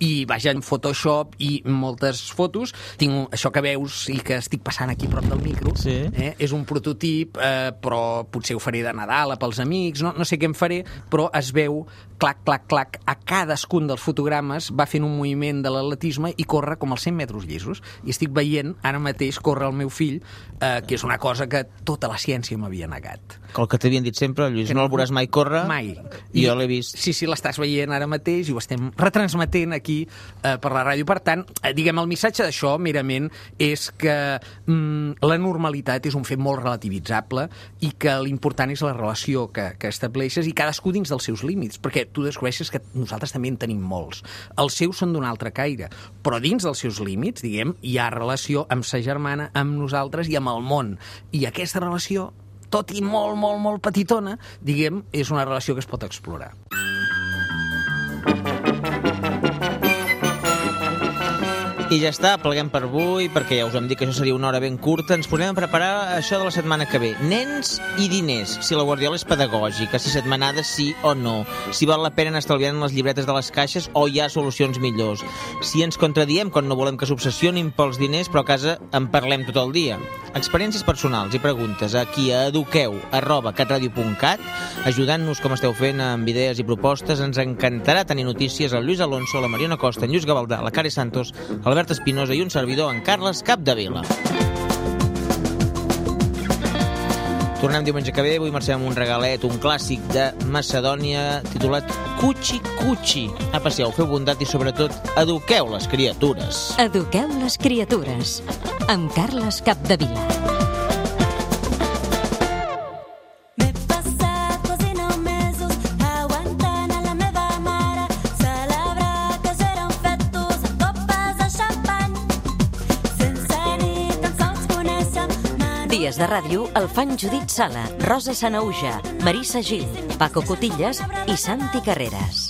i vaja en Photoshop i moltes fotos. Tinc això que veus i que estic passant aquí prop del micro. Sí. És un prototip, però potser ho faré de Nadal pels amics, no sé què em faré, però es veu clac, clac, clac, a cadascun dels fotogrames va fent un moviment de l'atletisme i corre com els 100 metres llisos. I estic veient ara mateix córrer el meu fill, que és una cosa que tota la ciència m'havia negat. El que t'havien dit sempre, Lluís, no el veuràs mai córrer. Mai. I jo l'he vist. Sí, l'estàs veient ara mateix i ho estem retransmetent aquí per la ràdio. Per tant, diguem, el missatge d'això, merament, és que la normalitat és un fet molt relativitzable i que l'important és la relació que estableixes i cadascú dins dels seus límits, perquè tu descobreixes que nosaltres també en tenim molts. Els seus són d'un altre caire, però dins dels seus límits, diguem, hi ha relació amb sa germana, amb nosaltres i amb el món. I aquesta relació, tot i molt, molt, molt petitona, diguem, és una relació que es pot explorar. I ja està, pleguem per avui, perquè ja us hem dit que això seria una hora ben curta. Ens posem a preparar això de la setmana que ve. Nens i diners, si la Guardiola és pedagògica, si setmanada sí o no, si val la pena anar estalviant les llibretes de les caixes o hi ha solucions millors, si ens contradiem quan no volem que s'obsessionin pels diners però a casa en parlem tot el dia. Experiències personals i preguntes aquí a eduqueu@catradio.cat, ajudant-nos com esteu fent amb idees i propostes. Ens encantarà tenir notícies al Lluís Alonso, la Mariona Costa, en Lluís Gavaldà, la Cari Santos, Albert Espinosa i un servidor, en Carles Capdevila. Tornem diumenge que ve, avui marxem amb un regalet, un clàssic de Macedònia titulat Cuchi Cuchi. Aprecieu, feu bondat i sobretot eduqueu les criatures. Eduqueu les criatures, amb Carles Capdevila. Dies de ràdio el fan Judit Sala, Rosa Sanauja, Marissa Gil, Paco Cotillas i Santi Carreras.